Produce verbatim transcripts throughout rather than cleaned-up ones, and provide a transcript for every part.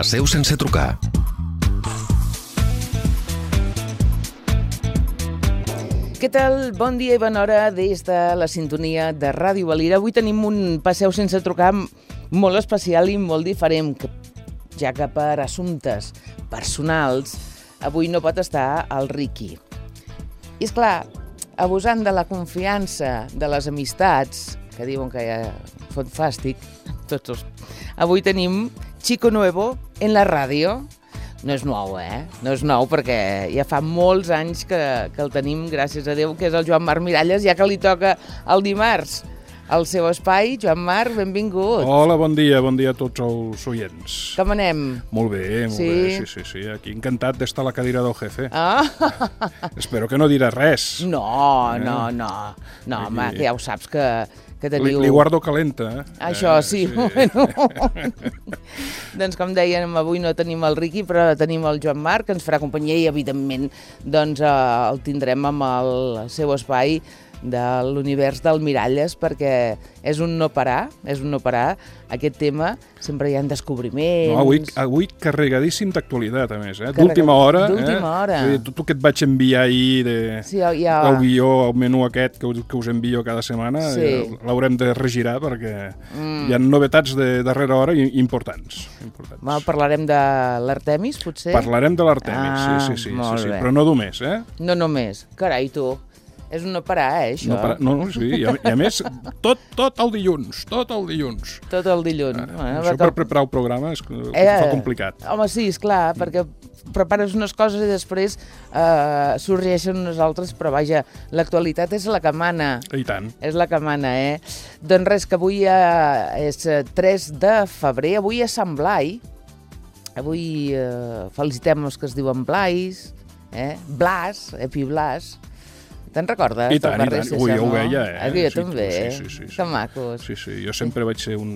Passeu sense trucar. Què tal? Bon dia i bona hora des de la sintonia de Ràdio Valira. Avui tenim un Passeu sense trucar molt especial i molt diferent, ja que per assumptes personals avui no pot estar el Riqui. I és clar, abusant de la confiança de les amistats, que diuen que ja fot fàstic, tots els... avui tenim Chico Nuevo en la ràdio. No és nou, eh? No és nou, perquè ja fa molts anys que, que el tenim, gràcies a Déu, que és el Joan Marc Miralles, ja que li toca el dimarts al seu espai. Joan Marc, benvingut. Hola, bon dia, bon dia a tots els oients. Com anem? Molt bé, molt sí? bé, sí, sí, sí. Aquí encantat d'estar a la cadira del jefe. Ah. Espero que no dirà res. No, eh? no, no. No, Aquí... home, que ja ho saps que... que teniu... Li, li guardo calenta, eh? Això sí, eh, sí. Bueno. Doncs com dèiem, avui no tenim el Riqui, però tenim el Joan Marc, que ens farà companyia i, evidentment, doncs, eh, el tindrem amb el seu espai de l'univers del Miralles, perquè és un no parar, és un no parar. Aquest tema, sempre hi ha descobriments... No, avui, avui carregadíssim d'actualitat, a més, eh? D'última hora. D'última hora. Eh? Tot el que et vaig enviar ahir, de, sí, ja... el guió, el menú aquest que us, que us envio cada setmana, sí. eh, l'haurem de regirar perquè mm. hi ha novetats de darrera hora importants. importants. Mal, parlarem de l'Artemis, potser? Parlarem de l'Artemis, ah, sí, sí, sí, sí, sí, però no només, eh? No només. Carai, tu... És un no parar, eh, això? No, parar, no, no sí, i a, i a més, tot, tot el dilluns, tot el dilluns. Tot el dilluns. Ah, bueno, això per que... preparar el programa és eh, fa complicat. Home, sí, esclar, mm. perquè prepares unes coses i després eh, sorgeixen unes altres, però vaja, l'actualitat és la que mana. I tant. És la que mana, eh? Doncs res, que avui eh, és tres de febrer, avui és Sant Blai, avui eh, felicitem els que es diuen Blais, eh? Blas, Epi Blas. Te'n recordes? I tant, i tant. Ui, jo ho veia, eh? Aquí jo sí, també, sí, sí, sí, sí. Que macos. Sí, sí, jo sempre vaig ser un,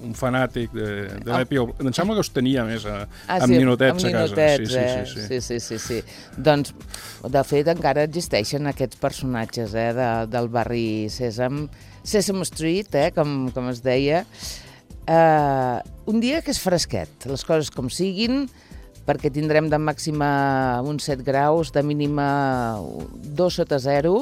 un fanàtic de, de l'Epi. Oh. Em sembla que els tenia més a, ah, amb sí, ninotets amb a casa. Ninotets, sí, eh? sí, sí, sí, sí, sí, sí. Doncs, de fet, encara existeixen aquests personatges eh, de, del barri Sèsam, Sesame Street, eh, com, com es deia. Uh, un dia que és fresquet, les coses com siguin, perquè tindrem de màxima uns set graus, de mínima dos sota zero.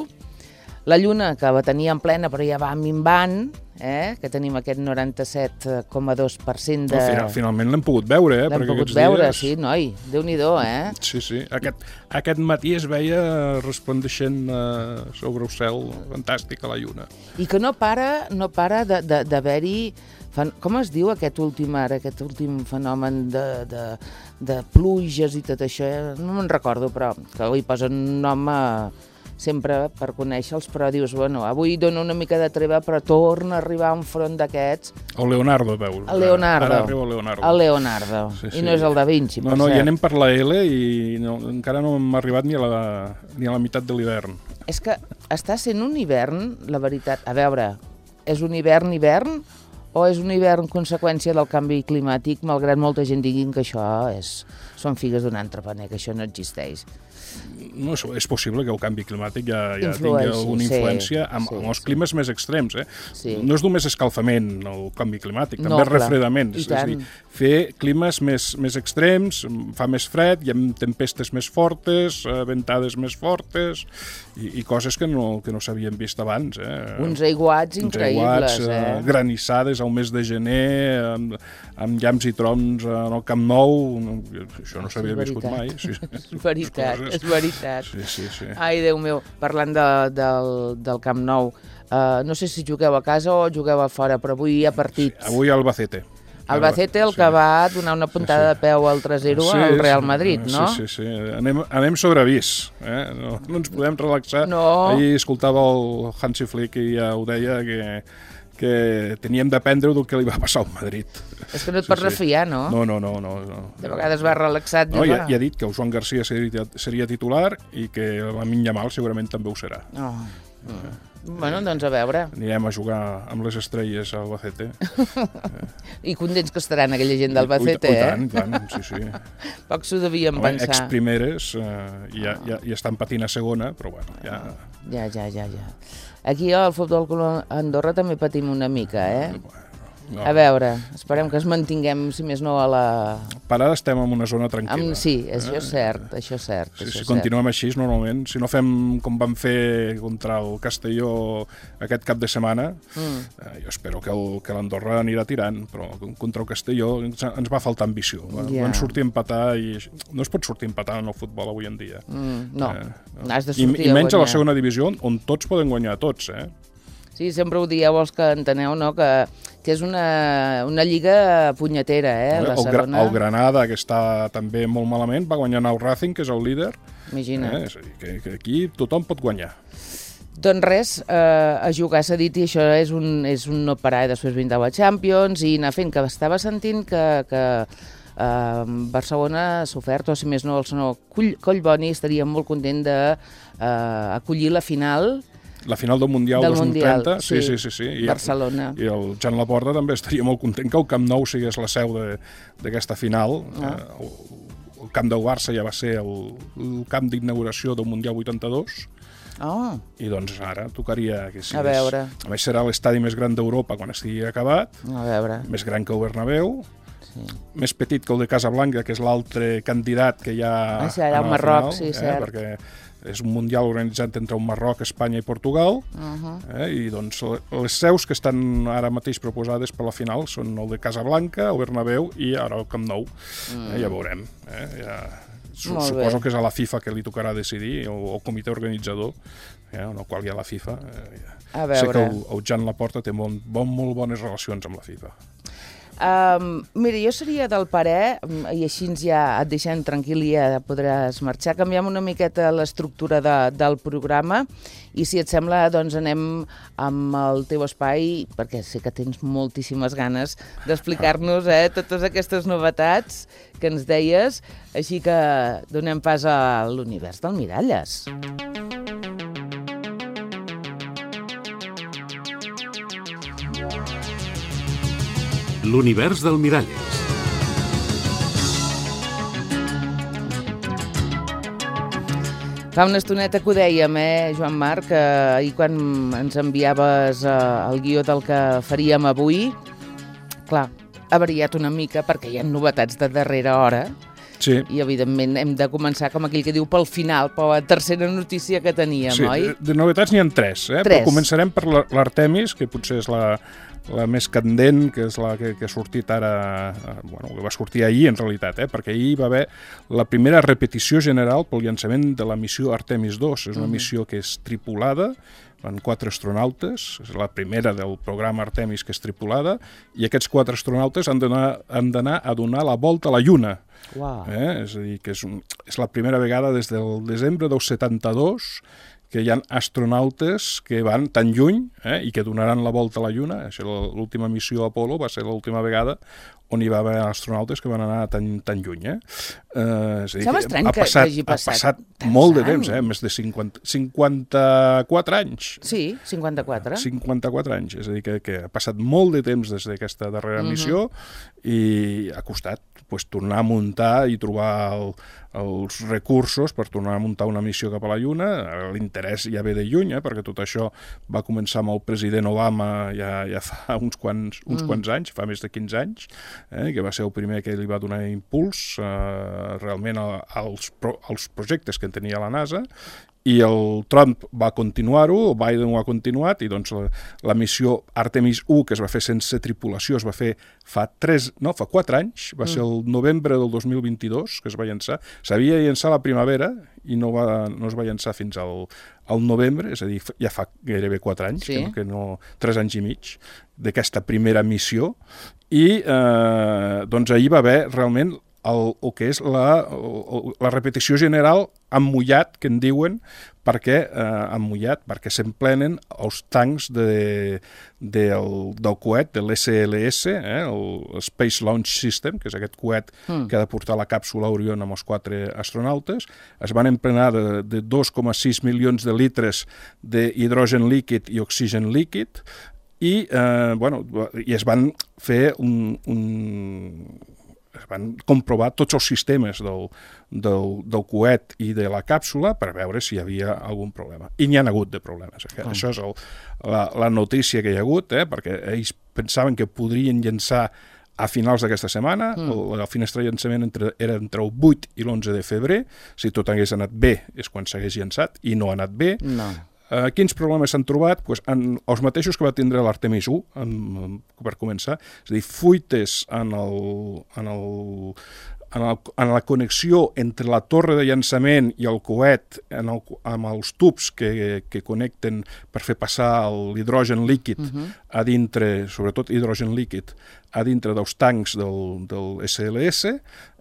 La lluna, que la tenia en plena, però ja va minvant, eh? Que tenim aquest noranta-set coma dos per cent de... No, final, finalment l'hem pogut veure, eh? L'hem pogut veure, dies... sí, noi, Déu-n'hi-do, eh? Sí, sí, aquest, aquest matí es veia resplendeixent uh, sobre el cel fantàstic a la lluna. I que no para, no para d'haver-hi... Com es diu aquest últim ara, aquest últim fenomen de, de, de pluges i tot això? No me'n recordo, però que li posen un nom a, sempre per conèixer-los, però dius, bueno, avui dono una mica de treva, però torna a arribar un front d'aquests. El Leonardo, veus? El Leonardo. Ara arriba el Leonardo. El Leonardo. Sí, sí. I no és el Da Vinci, per No, no, cert. ja anem per la L i no, encara no hem arribat ni a la, ni a la meitat de l'hivern. És que està sent un hivern, la veritat. A veure, és un hivern-hivern o és un hivern conseqüència del canvi climàtic, malgrat molta gent diguin que això és, són figues d'un entrepaner, que això no existeix? No, és possible que el canvi climàtic ja, ja Influeixi, tingui alguna influència sí, amb, sí, amb els sí. climes més extrems. Eh? Sí. No és només escalfament el canvi climàtic, també no, és refredament. I és tant. a dir, fer climes més, més extrems, fa més fred, hi ha tempestes més fortes, ventades més fortes i, i coses que no, que no s'havien vist abans. Eh? Uns aiguats Uns increïbles. aiguats, eh? granissades al mes de gener, amb, amb llamps i trons en el Camp Nou. Això no s'havia viscut mai. Sí, és veritat, és veritat. Sí, sí, sí. Ai, Déu meu, parlant de, del, del Camp Nou, uh, no sé si jugueu a casa o jugueu a fora, però avui hi ha partit. Sí, avui Albacete. Albacete, el que sí. va donar una puntada sí, sí. de peu al tres zero sí, al Real Madrid, no? Sí, sí, sí. Anem, anem sobre avís, eh? no, no ens podem relaxar. No. Ahir escoltava el Hansi Flick i ja ho deia que que teníem d'aprendre del que li va passar al Madrid. És que no et pots sí, refiar, no? No, no, no. no, no. De vegades va relaxat. No, ja, ja ha dit que el Joan Garcia seria, seria titular i que el Lamine Yamal segurament també ho serà. Oh. Mm. Bueno, doncs a veure. Anirem a jugar amb les estrelles a Albacete. I contents que estaran aquella gent d'Albacete, eh? I tant, i tant, sí, sí. Poc s'ho devien Home, pensar. Ex-primeres, eh, ja, ja, ja estan patint a segona, però bueno, ja... Ja, ja, ja, ja. Aquí al Futbol Club Andorra també patim una mica, eh? No. A veure, esperem que es mantinguem, si més no, a la... Per ara estem en una zona tranquil·la. Amb... Sí, això és cert, això és cert. Sí, això si és continuem cert. així, normalment, si no fem com vam fer contra el Castelló aquest cap de setmana, mm. eh, jo espero que, el, que l'Andorra anirà tirant, però contra el Castelló ens, ens va faltar ambició. Va, yeah. Van sortir a empatar i no es pot sortir a empatar en el futbol avui en dia. Mm, no, eh, no, has de sortir I, i menys a a la segona divisió, on tots poden guanyar tots, eh? Sí, sempre ho dieu els que enteneu, no?, que, que és una, una lliga punyetera, eh, la el, segona. El Granada, que està també molt malament, va guanyar el Racing, que és el líder. Imagina't. Eh? És a dir, que, que aquí tothom pot guanyar. Doncs res, eh, a jugar s'ha dit, i això és un, és un no parar, i després vindrà la Champions, i anar fent, que estava sentint que... que Uh, Barcelona s'ha ofert, o si més no, el senyor Collboni estaria molt content d'acollir uh, la final la final del Mundial del dos mil trenta, Mundial, sí, sí, sí, sí, sí. I Barcelona. El, I el Jan Laporta també estaria molt content que el Camp Nou sigués la seu d'aquesta final. Ah. Uh, el, el Camp del Barça ja va ser el, el camp d'inauguració del Mundial vuitanta-dos. Oh. I doncs ara tocaria que sigués... A veure. A més serà l'estadi més gran d'Europa quan estigui acabat. A veure. Més gran que el Bernabéu. Sí. Més petit que el de Casablanca, que és l'altre candidat que hi ha ah, sí, allà al Marroc, final, sí, eh, cert. perquè és un mundial organitzat entre un Marroc, Espanya i Portugal, uh-huh. eh, i doncs les seus que estan ara mateix proposades per la final són el de Casablanca, el Bernabéu i ara el Camp Nou. Mm. Eh, ja veurem. Eh, ja... Suposo que és a la FIFA que li tocarà decidir, o el comitè organitzador, eh, en el qual hi ha la FIFA. Eh, ja. A veure. Sé que el, el Jan Laporta té molt, bon, molt bones relacions amb la FIFA. Um, mira, jo seria del parer, i així ja et deixem tranquil i ja podràs marxar, canviem una miqueta l'estructura de, del programa i si et sembla doncs anem amb el teu espai, perquè sé que tens moltíssimes ganes d'explicar-nos eh, totes aquestes novetats que ens deies, així que donem pas a l'univers del Miralles. L'univers del Miralles. Fa una estoneta que ho dèiem, eh, Joan Marc, que ahir quan ens enviaves eh, el guió del que faríem avui, clar, ha variat una mica perquè hi ha novetats de darrera hora. Sí. I, evidentment, hem de començar, com aquell que diu, pel final, per la tercera notícia que teníem, sí, oi? De, de novetats n'hi ha tres, eh? tres. Però començarem per l'Artemis, que potser és la, la més candent, que és la que, que ha sortit ara, bueno, que va sortir ahir, en realitat, eh? Perquè ahir va haver la primera repetició general pel llançament de la missió Artemis dos. És una uh-huh. missió que és tripulada, van quatre astronautes, és la primera del programa Artemis que és tripulada, i aquests quatre astronautes han d'anar a donar la volta a la Lluna. Wow. Eh? És a dir, que és, un, és la primera vegada des del desembre del setanta-dos que hi ha astronautes que van tan lluny eh, i que donaran la volta a la Lluna. L'última missió Apollo va ser l'última vegada on hi va haver astronautes que van anar tan, tan lluny. Eh? Uh, és a dir, Sembla estrany ha passat, que hagi passat. Ha passat molt de temps, eh? Més de cinquanta, cinquanta-quatre anys. Sí, cinquanta-quatre. cinquanta-quatre anys, és a dir, que, que ha passat molt de temps des d'aquesta darrera uh-huh. missió i ha costat pues, tornar a muntar i trobar el, els recursos per tornar a muntar una missió cap a la Lluna. L'interès ja ve de lluny, eh? Perquè tot això va començar amb el president Obama ja, ja fa uns quants, uns mm. quants anys, fa més de quinze anys, eh? Que va ser el primer que li va donar impuls eh, realment als, pro, als projectes que en tenia la NASA, i el Trump va continuar-ho, el Biden ho ha continuat, i doncs la, la missió Artemis u, que es va fer sense tripulació, es va fer fa tres, no, fa quatre anys, va mm. ser el novembre del dos mil vint-i-dos que es va llançar. S'havia de llançar a la primavera i no, va, no es va llançar fins al, al novembre, és a dir, ja fa gairebé quatre anys, sí. que, no, que no, tres anys i mig, d'aquesta primera missió, i eh, doncs ahir va haver realment el, el que és la, el, la repetició general emmullat, que en diuen, perquè eh, emmullat, perquè s'emplenen els tancs de, del, del coet, de l'S L S, eh, el Space Launch System, que és aquest coet mm. que ha de portar la càpsula Orion amb els quatre astronautes. Es van emplenar de, de dos coma sis milions de litres d'hidrogen líquid i oxigen líquid, i, eh, bueno, i es van fer un... un van comprovar tots els sistemes del, del, del coet i de la càpsula per veure si hi havia algun problema. I n'hi ha hagut de problemes. Oh. Això és el, la, la notícia que hi ha hagut, eh? Perquè ells pensaven que podrien llançar a finals d'aquesta setmana, mm. el, el finestre de llançament entre, era entre el vuit i l'onze de febrer, si tot hagués anat bé és quan s'hagués llançat, i no ha anat bé. No. Uh, quins problemes s'han trobat? Pues, en, els mateixos que va tindre l'Artemis u, en, en, per començar, és a dir, fuites en el... En el En, el, en la connexió entre la torre de llançament i el coet en el, amb els tubs que, que connecten per fer passar l'hidrogen líquid uh-huh. a dintre, sobretot hidrogen líquid, a dintre dels tancs del, del S L S,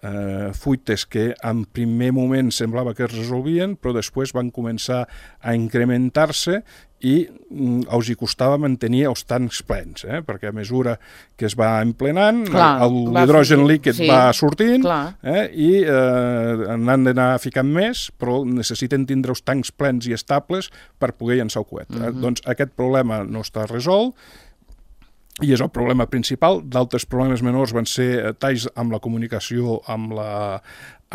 eh, fuites que en primer moment semblava que es resolvien, però després van començar a incrementar-se i mm, els hi costava mantenir els tancs plens, eh? Perquè a mesura que es va emplenant, clar, l'hidrogen líquid sí, va sortint eh? i eh, n'han d'anar ficant més, però necessiten tindre els tancs plens i estables per poder llançar el coet. Uh-huh. eh? Doncs aquest problema no està resolt, i és el problema principal. D'altres problemes menors van ser talls amb la comunicació amb la,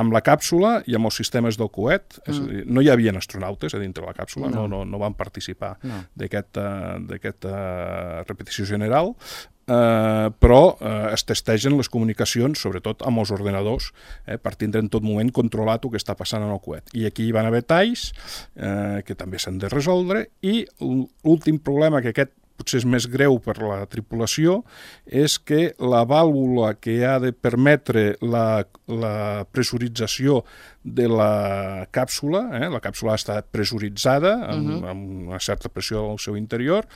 amb la càpsula i amb els sistemes del coet. Mm. És a dir, no hi havia astronautes a dintre de la càpsula, no, no, no van participar no. d'aquesta uh, repetició general, uh, però uh, es testegen les comunicacions, sobretot amb els ordenadors, eh, per tindre en tot moment controlat el que està passant en el coet. I aquí hi van haver talls uh, que també s'han de resoldre, i l'últim problema, que aquest potser és més greu per la tripulació, és que la vàlvula que ha de permetre la, la pressurització de la càpsula, eh, la càpsula ha estat pressuritzada amb, uh-huh. amb una certa pressió al seu interior,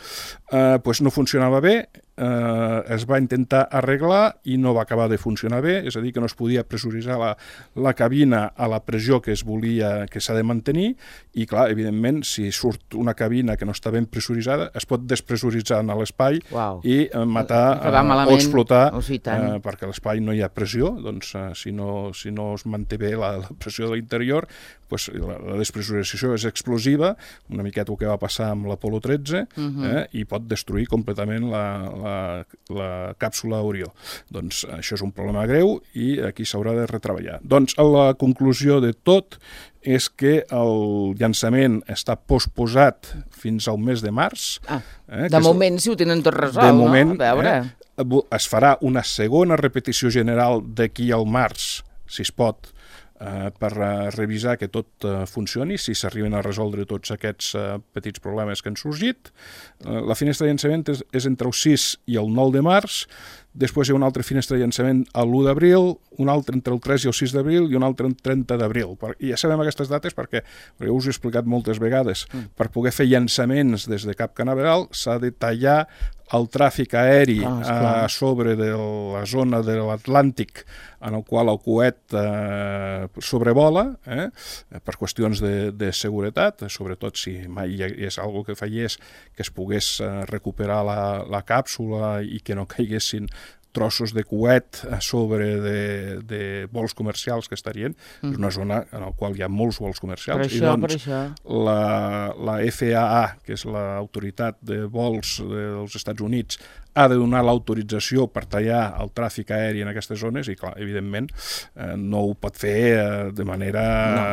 eh, pues no funcionava bé, eh, es va intentar arreglar i no va acabar de funcionar bé, és a dir, que no es podia pressuritzar la, la cabina a la pressió que es volia, que s'ha de mantenir, i clar, evidentment, si surt una cabina que no està ben pressuritzada, es pot despressuritzar a l'espai wow. i eh, matar eh, o explotar, oh, sí, eh, perquè a l'espai no hi ha pressió, doncs eh, si, no, si no es manté bé la, la pressió de l'interior, pues, la, la despressurització és explosiva, una miqueta el que va passar amb l'Apolo tretze, uh-huh. eh, i pot destruir completament la, la, la càpsula Orió. Doncs això és un problema greu i aquí s'haurà de retreballar. Doncs la conclusió de tot és que el llançament està posposat fins al mes de març. Ah, eh, de moment, el... si ho tenen tot resolt, de moment, no? A veure... Eh, es farà una segona repetició general d'aquí al març, si es pot, Uh, per uh, revisar que tot uh, funcioni, si s'arriben a resoldre tots aquests uh, petits problemes que han sorgit. Uh, la finestra de llançament és, és entre el sis i el nou de març, després hi ha una altra finestra de llançament a l'u d'abril, una altra entre el tres i el sis d'abril i una altra el trenta d'abril. I ja sabem aquestes dates perquè, perquè us he explicat moltes vegades, mm. per poder fer llançaments des de Cap Canaveral s'ha de tallar el tràfic aeri ah, a sobre de la zona de l'Atlàntic en el qual el coet eh, sobrevola, eh, per qüestions de, de seguretat, sobretot si mai hi és algo que fallés, que es pogués eh, recuperar la, la càpsula i que no caiguessin trossos de coet a sobre de, de vols comercials que estarien. Mm. És una zona en la qual hi ha molts vols comercials. Per això, I doncs, per això. La, la F A A, que és l'autoritat de vols dels Estats Units, ha de donar l'autorització per tallar el tràfic aeri en aquestes zones i, clar, evidentment, eh, no ho pot fer eh, de manera no.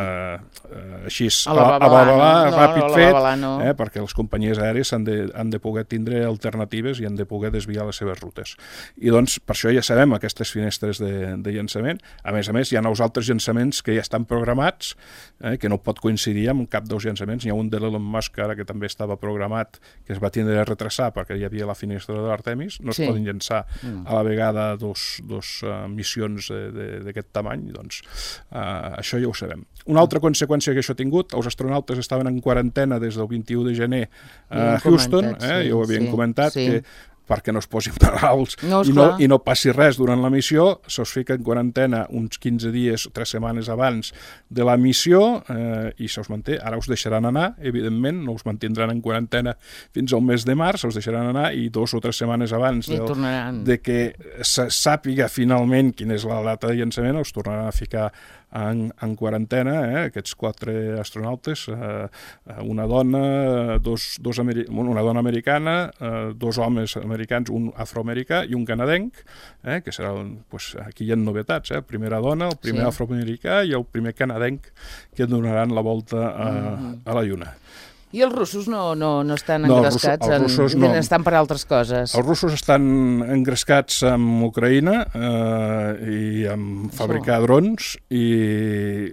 eh, així, a la babalà, no, ràpid no, fet, babalà, no. eh, perquè les companyies aèries han de, han de poder tindre alternatives i han de poder desviar les seves rutes. I doncs, per això ja sabem aquestes finestres de, de llançament. A més a més, hi ha els altres llançaments que ja estan programats, eh, que no pot coincidir amb cap dels llançaments. Hi ha un de l'Elon Musk ara que també estava programat, que es va tindre a retrasar perquè hi havia la finestra de l'Artemis, no es sí. poden llançar mm. a la vegada dos, dos uh, missions d'aquest tamany, doncs uh, això ja ho sabem. Una altra conseqüència que això ha tingut, els astronautes estaven en quarantena des del vint-i-u de gener a Houston, comentat, eh, sí, ja ho havien sí, comentat, sí. que perquè no es posin malalts no, i, no, i no passi res durant la missió, se'ls fica en quarantena uns quinze dies o tres setmanes abans de la missió eh, i se'ls manté. Ara us deixaran anar, evidentment, no us mantindran en quarantena fins al mes de març, us deixaran anar i dos o tres setmanes abans del, de que se sàpiga finalment quina és la data de llançament, us tornaran a ficar en, en quarantena, eh, aquests quatre astronautes, eh, una dona, dos, dos ameri una dona americana, eh, dos homes americans, un afroamericà i un canadenc, eh, que serà, pues, aquí hi ha novetats, eh, primera dona, el primer sí. afroamericà i el primer canadenc que donaran la volta a, mm-hmm. a la Lluna. I els russos no, no, no estan no, engrescats, els russos, en, no. estan per altres coses? Els russos estan engrescats amb Ucraïna eh, i amb fabricar Això. drons, i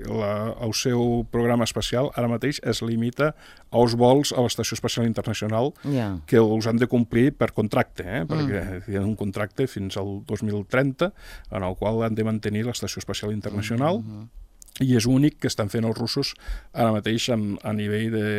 la, el seu programa espacial ara mateix es limita als vols a l'Estació Espacial Internacional, yeah. que els han de complir per contracte, eh, perquè mm. hi ha un contracte fins al dos mil trenta en el qual han de mantenir l'Estació Espacial Internacional, mm-hmm. i és únic que estan fent els russos ara mateix a, a nivell de,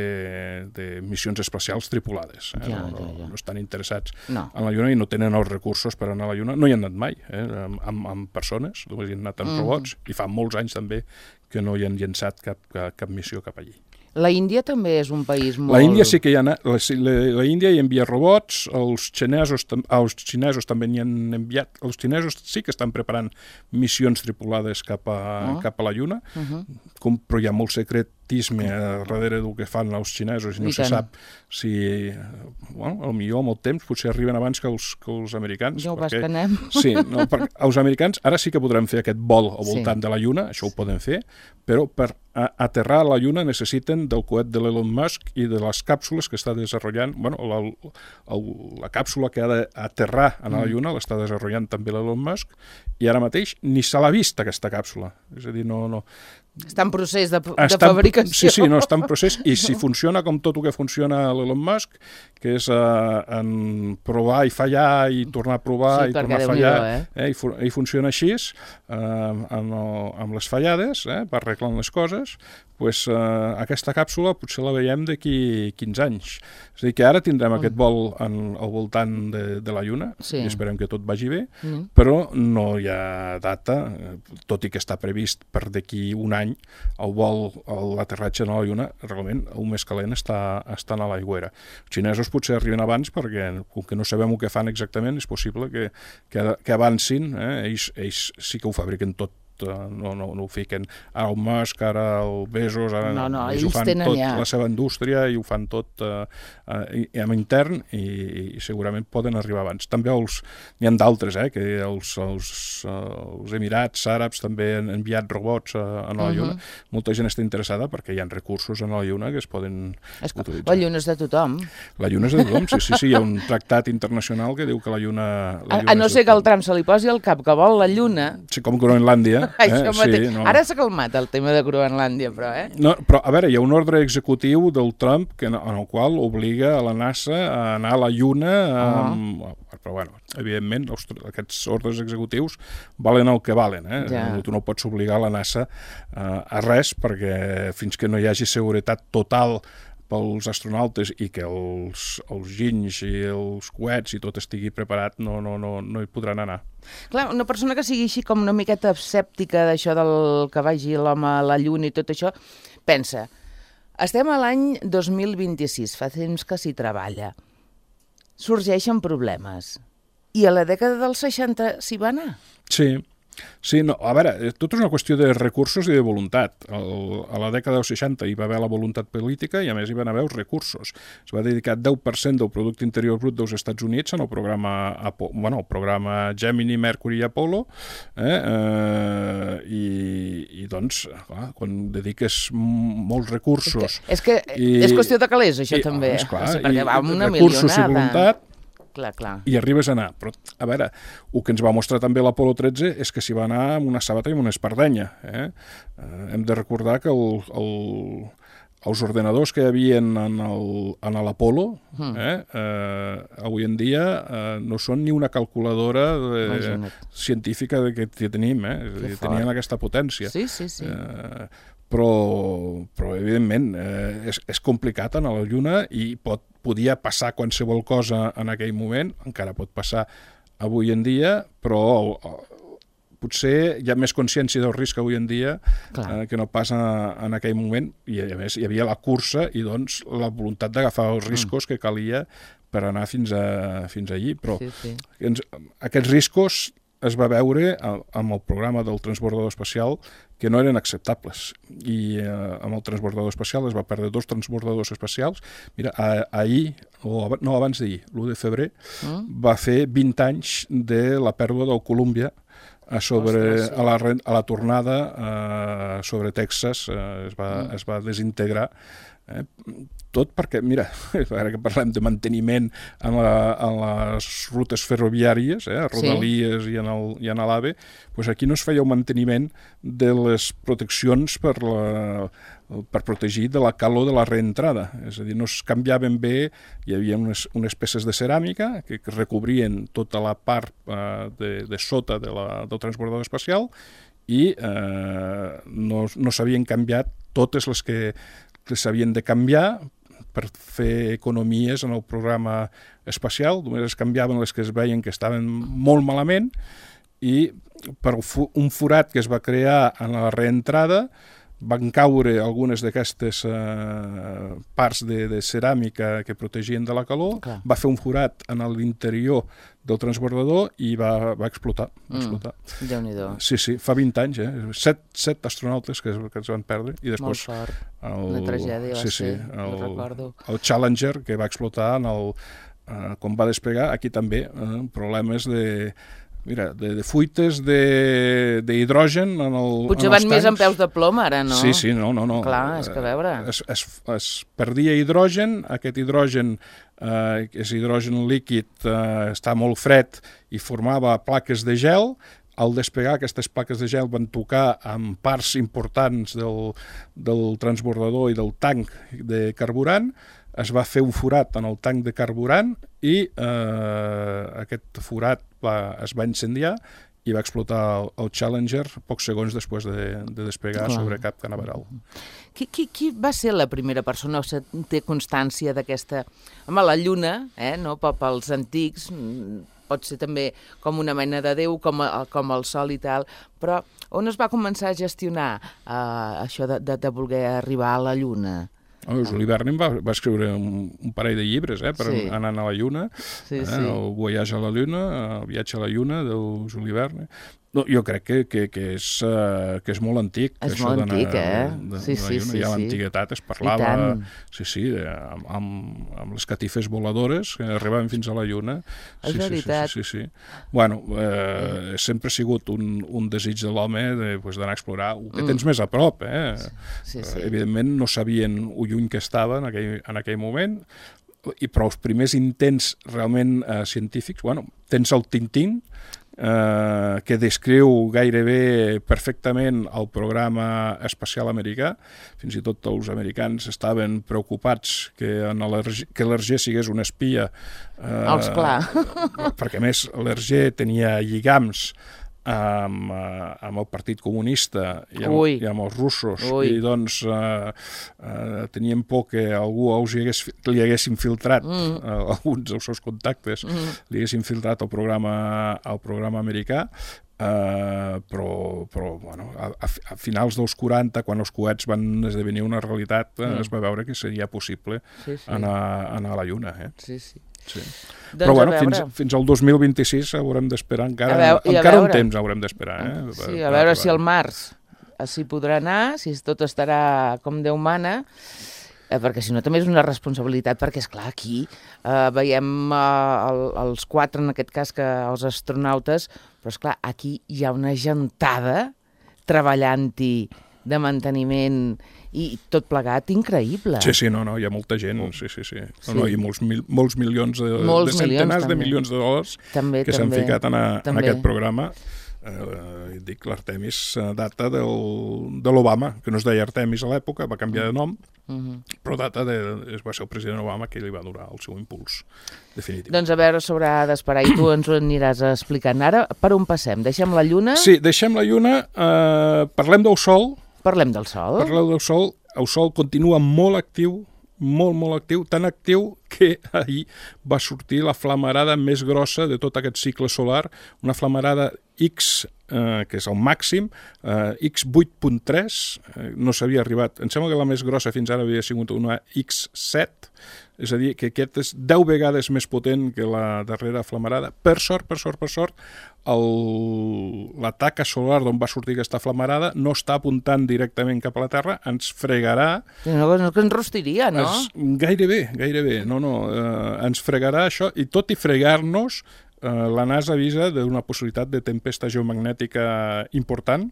de missions espacials tripulades. Eh? Ja, no, no, ja, ja. no estan interessats no. en la Lluna i no tenen els recursos per anar a la Lluna. No hi han anat mai, eh? amb, amb persones, només hi han anat amb mm. robots, i fa molts anys també que no hi han llençat cap, cap, cap missió cap allí. La Índia també és un país molt... La Índia sí que hi ha anat, la, la, la Índia hi envia robots, els xinesos, els xinesos també n'hi han enviat, els xinesos sí que estan preparant missions tripulades cap a, oh. cap a la Lluna, uh-huh. com, però hi ha molt secretisme darrere del que fan els xinesos i no I se tant. sap si, bueno, al millor amb el temps potser arriben abans que els, que els americans. Ja ho vas que anem. Sí, no, perquè els americans ara sí que podran fer aquest vol al voltant sí. de la Lluna, això ho poden fer, però per a, aterrar a la Lluna necessiten del coet de l'Elon Musk i de les càpsules que està desenvolupant, bueno, la, la, la càpsula que ha d'aterrar a la Lluna mm. l'està desenvolupant també l'Elon Musk, i ara mateix ni se l'ha vist aquesta càpsula. És a dir, no... no està en procés de, de està, fabricació. Sí, sí, no, està en procés, i si funciona com tot el que funciona l'Elon Musk, que és uh, en provar i fallar i tornar a provar sí, i tornar a fallar, eh? Eh, i, fu i funciona així, uh, amb, amb les fallades, eh, per arreglar les coses, pues, uh, aquesta càpsula potser la veiem d'aquí quinze anys. És a dir, que ara tindrem mm. aquest vol en, al voltant de, de la Lluna, sí. i esperem que tot vagi bé, mm. però no hi ha data, tot i que està previst per d'aquí un any el vol, l'aterratge a la Lluna, realment el més calent està, està a l'aigüera. Els xinesos potser arriben abans perquè, com que no sabem el que fan exactament, és possible que, que, que avancin, eh? ells, ells sí que ho fabriquen tot, no, no, no ho fiquen ara el Musk, ara el Bezos, ara no, no, ells, ells ho fan tot, ja. la seva indústria, i ho fan tot uh, uh, amb intern, i, i segurament poden arribar abans. També els, n'hi ha d'altres, eh, que els, els, uh, els Emirats Àrabs també han enviat robots a, a la Lluna. Uh-huh. Molta gent està interessada perquè hi ha recursos a la Lluna que es poden es, utilitzar. La Lluna és de tothom. La Lluna és de tothom, sí, sí, sí, hi ha un tractat internacional que diu que la Lluna... La Lluna a, a no ser que el Trump se li posi al cap que vol la Lluna... Sí, com Groenlàndia. Eh? Sí, no. Ara s'ha calmat el tema de Groenlàndia, però, eh? No, però, a veure, hi ha un ordre executiu del Trump que, en el qual obliga a la NASA a anar a la Lluna, amb... uh-huh. però, bueno, evidentment, els, aquests ordres executius valen el que valen, eh? Ja. Tu no pots obligar la NASA uh, a res, perquè fins que no hi hagi seguretat total pels astronautes i que els, els ginys i els coets i tot estigui preparat, no, no, no, no hi podran anar. Clar, una persona que sigui així com una miqueta escèptica d'això del que vagi l'home a la Lluna i tot això, pensa, estem a l'any dos mil vint-i-sis, fa temps que s'hi treballa, sorgeixen problemes, i a la dècada dels seixanta s'hi va anar? Sí. Sí, no, a veure, tot és una qüestió de recursos i de voluntat. El, a la dècada dels seixanta hi va haver la voluntat política i a més hi van haver els recursos. Es va dedicar deu per cent del producte interior brut dels Estats Units en el programa, bueno, el programa Gemini, Mercury i Apollo, eh, eh, i, i doncs, clar, quan dediques molts recursos... És que és, que i, és qüestió de calés, això, i, també. És clar, o sigui, perquè va amb una recursos milionada. I voluntat, clar, clar. I arribes a anar. Però, a veure, el que ens va mostrar també l'Apolo tretze és que s'hi va anar amb una sabata i amb una espardenya. Eh? Eh, hem de recordar que el, el, els ordenadors que hi havia en, en l'Apolo, mm. eh, eh, avui en dia eh, no són ni una calculadora de, científica que tenim. Eh? És a dir, tenien aquesta potència. Sí, sí, sí. Eh, però, però evidentment, eh, és, és complicat anar a la Lluna i pot, podia passar qualsevol cosa en aquell moment, encara pot passar avui en dia, però eh, potser hi ha més consciència del risc avui en dia eh, que no passa en aquell moment, i a més hi havia la cursa i doncs la voluntat d'agafar els riscos mm. que calia per anar fins, a, fins allí, però sí, sí. Ens, aquests riscos es va veure amb el programa del transbordador espacial que no eren acceptables. I eh, amb el transbordador espacial es va perdre dos transbordadors espacials. Mira, a, ahir, o no, abans d'ahir, l'u de febrer, mm. va fer vint anys de la pèrdua del Columbia a, sobre, Ostres, sí. a, la, a la tornada eh, sobre Texas, eh, es, va, mm. es va desintegrar. Eh? Tot perquè, mira, ara que parlem de manteniment en, la, en les rutes ferroviàries, eh, a Rodalies sí. i en el, i en l'AVE, doncs aquí no es feia el manteniment de les proteccions per, la, per protegir de la calor de la reentrada. És a dir, no es canviaven bé, hi havia unes, unes peces de ceràmica que, que recobrien tota la part eh, de, de sota de la, del transbordador espacial i eh, no, no s'havien canviat totes les que, que s'havien de canviar per fer economies en el programa espacial. Només es canviaven les que es veien que estaven molt malament i per un forat que es va crear en la reentrada van caure algunes d'aquestes eh, parts de, de ceràmica que protegien de la calor, Clar. va fer un forat en l'interior del transbordador i va, va explotar. Va explotar. Mm, Déu-n'hi-do. Sí, sí, fa vint anys, eh? Set, set astronautes que es, que es van perdre. I després, Molt fort. El, Una tragèdia va sí, sí, ser, el, ho recordo. El Challenger, que va explotar en el, eh, quan va despegar, aquí també, eh, problemes de... Mira, de, de fuites d'hidrogen en el Potser en van els més tancs. amb peus de plom, ara, no? Sí, sí, no, no. no. Clar, és que a veure... Es, es, es perdia hidrogen, aquest hidrogen, eh, és hidrogen líquid, eh, està molt fred i formava plaques de gel. Al despegar, aquestes plaques de gel van tocar amb parts importants del, del transbordador i del tanc de carburant. Es va fer un forat en el tanc de carburant i eh, aquest forat va, es va incendiar i va explotar el, el Challenger pocs segons després de, de despegar Clar. sobre Cap Canaveral. Qui, qui, qui va ser la primera persona o té constància d'aquesta... Home, la Lluna, eh, no? Pels antics, pot ser també com una mena de Déu, com, a, com el Sol i tal, però on es va començar a gestionar eh, això de, de, de voler arribar a la Lluna? Oh, Jules Verne va, va escriure un, un parell de llibres eh, per sí. anar a la Lluna, sí, eh, sí. el Voyage a la Lluna, el viatge a la Lluna del Jules Verne. No, jo crec que, que, que, és, uh, que és molt antic. És molt antic, eh? De, sí, sí, sí. Ja a l'antiguitat es parlava sí, sí, amb, amb, amb les catifes voladores que arribaven fins a la Lluna. És sí, veritat. Sí, sí, sí, sí. Bueno, eh, sempre ha sigut un, un desig de l'home de, pues, d'anar a explorar el que tens mm. més a prop. Eh? Sí, sí. Eh, evidentment no sabien ho lluny que estava en aquell, en aquell moment, i però els primers intents realment eh, científics, bueno, tens el Tintín, Eh, que descriu gairebé perfectament el programa espacial americà. Fins i tot els americans estaven preocupats que, en que l'Hergé sigués un espia. Eh, oh, esclar. Perquè, a més, l'Hergé tenia lligams amb, amb el Partit Comunista i amb, i amb els russos. Ui. I doncs eh, eh, tenien por que algú els hi hagués, li hagués infiltrat, mm. eh, alguns dels seus contactes, mm. li hagués infiltrat el programa, el programa americà. Uh, però, però bueno, a, a finals dels quaranta, quan els coets van esdevenir una realitat, mm. es va veure que seria possible sí, sí. Anar, anar a la Lluna. Eh? Sí, sí. Sí. Doncs però bueno, fins, fins al dos mil vint-i-sis haurem d'esperar, encara, veure, encara un temps haurem d'esperar. Eh? Sí, a veure si al març s'hi podrà anar, si tot estarà com Déu mana, eh, perquè si no també és una responsabilitat, perquè esclar, aquí eh, veiem eh, el, els quatre, en aquest cas, que els astronautes, però esclar, aquí hi ha una gentada treballant-hi de manteniment i tot plegat increïble. Sí, sí, no, no, hi ha molta gent, sí, sí, sí. No, sí. No, hi ha molts, mil, molts milions, de, molts de centenars milions, de milions de dòlars també, que s'han ficat en, a, en aquest programa. Eh, dic, l'Artemis data del, de l'Obama, que no es deia Artemis a l'època, va canviar de nom, uh-huh. però data de, va ser el president Obama que li va donar el seu impuls definitiu. Doncs a veure, s'haurà d'esperar i tu ens ho aniràs explicant. Ara, per on passem? Deixem la Lluna? Sí, deixem la Lluna, eh, parlem del Sol. Parlem del Sol. Parlem del Sol. El Sol continua molt actiu, molt, molt actiu, tan actiu que ahir va sortir la flamarada més grossa de tot aquest cicle solar, una flamarada X, eh, que és el màxim, eh, X vuit punt tres, eh, no s'havia arribat, em sembla que la més grossa fins ara havia sigut una X set, és a dir, que aquest és deu vegades més potent que la darrera flamarada. Per sort, per sort, per sort, el, la taca solar d'on va sortir aquesta flamarada no està apuntant directament cap a la Terra, ens fregarà... No, no que ens rostiria, no? Es, gairebé, gairebé, no, no, eh, ens fregarà això, i tot i fregar-nos, eh, la NASA avisa d'una possibilitat de tempesta geomagnètica important,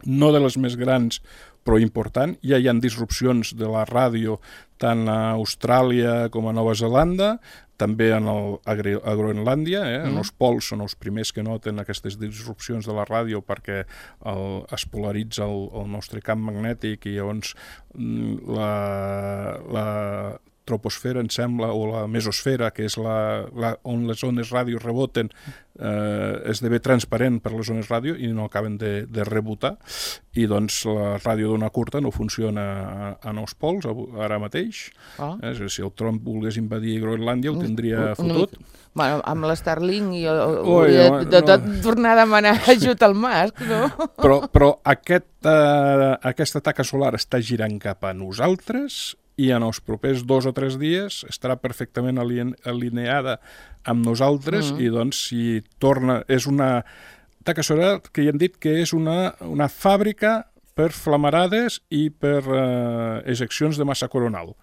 no de les més grans, però important. Ja hi ha disrupcions de la ràdio tant a Austràlia com a Nova Zelanda, també en el, a, a Groenlàndia, eh? Mm. En els pols són els primers que noten aquestes disrupcions de la ràdio perquè el, es polaritza el, el nostre camp magnètic i llavors la, la troposfera, em sembla, o la mesosfera, que és la, la, on les ones ràdio reboten, eh, esdevé transparent per les ones ràdio i no acaben de, de rebotar, i doncs la ràdio d'ona curta no funciona en els pols ara mateix. Ah. Eh, si el Trump volgués invadir Groenlàndia ho tindria fotut. Bueno, amb l'Starlink i hauria de, de tot no. tornar a demanar ajut al Musk, no? Però, però aquest, eh, aquesta taca solar està girant cap a nosaltres i en els propers dos o tres dies estarà perfectament alineada amb nosaltres mm. i doncs si torna... És una taca solar que ja hem dit que és una, una fàbrica per flamarades i per eh, ejeccions de massa coronal.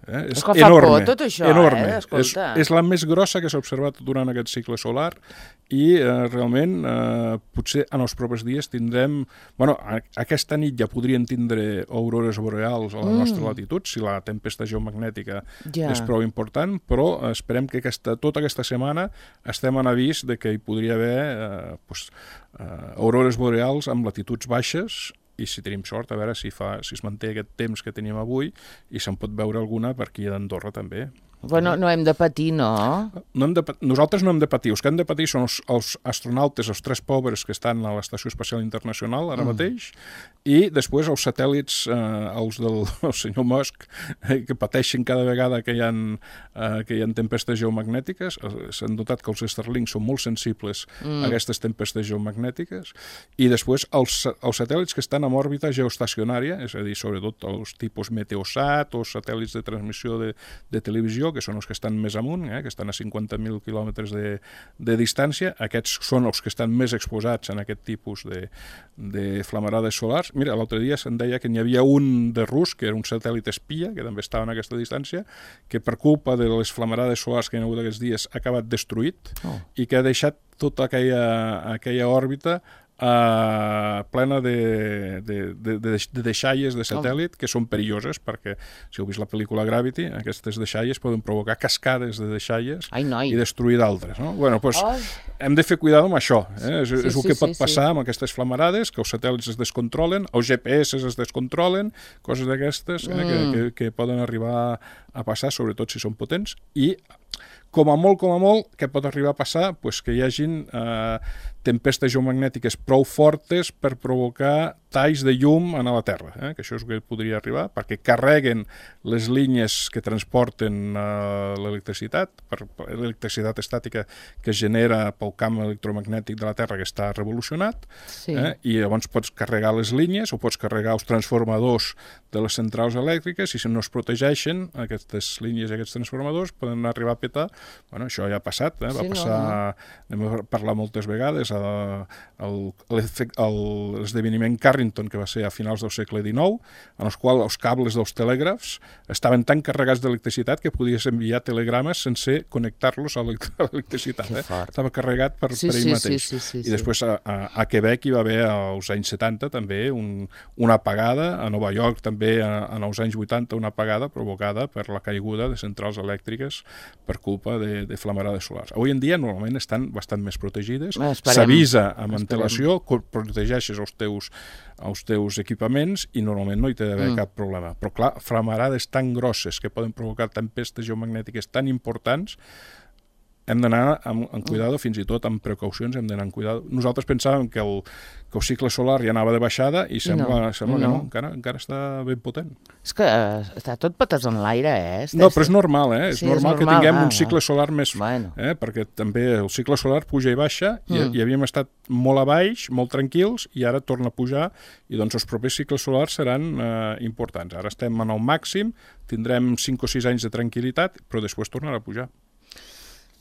Eh? És, és que fa enorme, por tot això, enorme. eh? Escolta. És, és la més grossa que s'ha observat durant aquest cicle solar i eh, realment eh, potser en els propers dies tindrem... Bueno, a, aquesta nit ja podrien tindre aurores boreals a la mm. nostra latitud si la tempesta geomagnètica ja. és prou important, però esperem que aquesta, tota aquesta setmana estem en avís de que hi podria haver eh, pues, eh, aurores boreals amb latituds baixes i si tenim sort, a veure si, fa, si es manté aquest temps que teníem avui i se'n pot veure alguna per aquí a Andorra també. Bueno, no hem de patir, no? no hem de, nosaltres no hem de patir. Els que han de patir són els, els astronautes, els tres pobres que estan a l'Estació Espacial Internacional ara mm. mateix, i després els satèl·lits, eh, els del el senyor Musk, eh, que pateixen cada vegada que hi ha, eh, que hi ha tempestes geomagnètiques. S'han notat que els Starlink són molt sensibles mm. a aquestes tempestes geomagnètiques, i després els, els satèl·lits que estan en òrbita geoestacionària, és a dir, sobretot els tipus Meteosat o satèl·lits de transmissió de, de televisió, que són els que estan més amunt, eh, que estan a cinquanta mil quilòmetres de, de distància. Aquests són els que estan més exposats en aquest tipus de, de flamarades solars. Mira, l'altre dia se'n deia que n'hi havia un de rus, que era un satèl·lit espia, que també estava en aquesta distància, que per culpa de les flamarades solars que hi ha hagut aquests dies ha acabat destruït oh. i que ha deixat tota aquella, aquella òrbita Uh, plena de, de, de, de, de deixalles de satèl·lit que són perilloses perquè, si heu vist la pel·lícula Gravity, aquestes deixalles poden provocar cascades de deixalles Ai, i destruir d'altres, no? Bueno, pues, oh. hem de fer cuidado amb això, eh? és, sí, és el que sí, pot sí, passar sí. amb aquestes flamarades, que els satèl·lits es descontrolen, els G P S es descontrolen, coses d'aquestes eh? mm. que, que, que poden arribar a passar, sobretot si són potents, i com a molt, com a molt, què pot arribar a passar? Pues que hi hagin eh, tempestes geomagnètiques prou fortes per provocar talls de llum a la Terra, eh? que això és el que podria arribar, perquè carreguen les línies que transporten eh, l'electricitat, per l'electricitat estàtica que es genera pel camp electromagnètic de la Terra que està revolucionat, sí. eh? i llavors pots carregar les línies o pots carregar els transformadors de les centrals elèctriques, i si no es protegeixen aquestes línies i aquests transformadors poden arribar a petar. Bueno, això ja ha passat, eh? va sí, passar, no, no. Hem parlat moltes vegades, l'esdeveniment Carrington, que va ser a finals del segle dinou, en el qual els cables dels telègrafs estaven tan carregats d'electricitat que podies enviar telegrames sense connectar-los a l'electricitat. Eh? Estava carregat per, sí, per ell sí, mateix. Sí, sí, sí, I després a, a, a Quebec hi va haver als anys setanta també un, una apagada, a Nova York també a, en els anys vuitanta una apagada provocada per la caiguda de centrals elèctriques per culpa de, de flamarades solars. Avui en dia normalment estan bastant més protegides, s'avisa amb antelació, protegeixes els teus, els teus equipaments i normalment no hi té d'haver mm. cap problema. Però clar, flamarades tan grosses que poden provocar tempestes geomagnètiques tan importants hem d'anar amb, amb cuidado, fins i tot amb precaucions hem d'anar amb cuidado. Nosaltres pensàvem que el, que el cicle solar ja anava de baixada i sembla, no, sembla no. que no, encara, encara està ben potent. És que està tot patats en l'aire, eh? Està, no, però és normal, eh? És, sí, normal, és normal que tinguem ah, un cicle solar més... Bueno. Eh? Perquè també el cicle solar puja i baixa i, mm. i havíem estat molt a baix, molt tranquils, i ara torna a pujar, i doncs els propers cicles solars seran eh, importants. Ara estem en el màxim, tindrem cinc o sis anys de tranquil·litat, però després tornarà a pujar.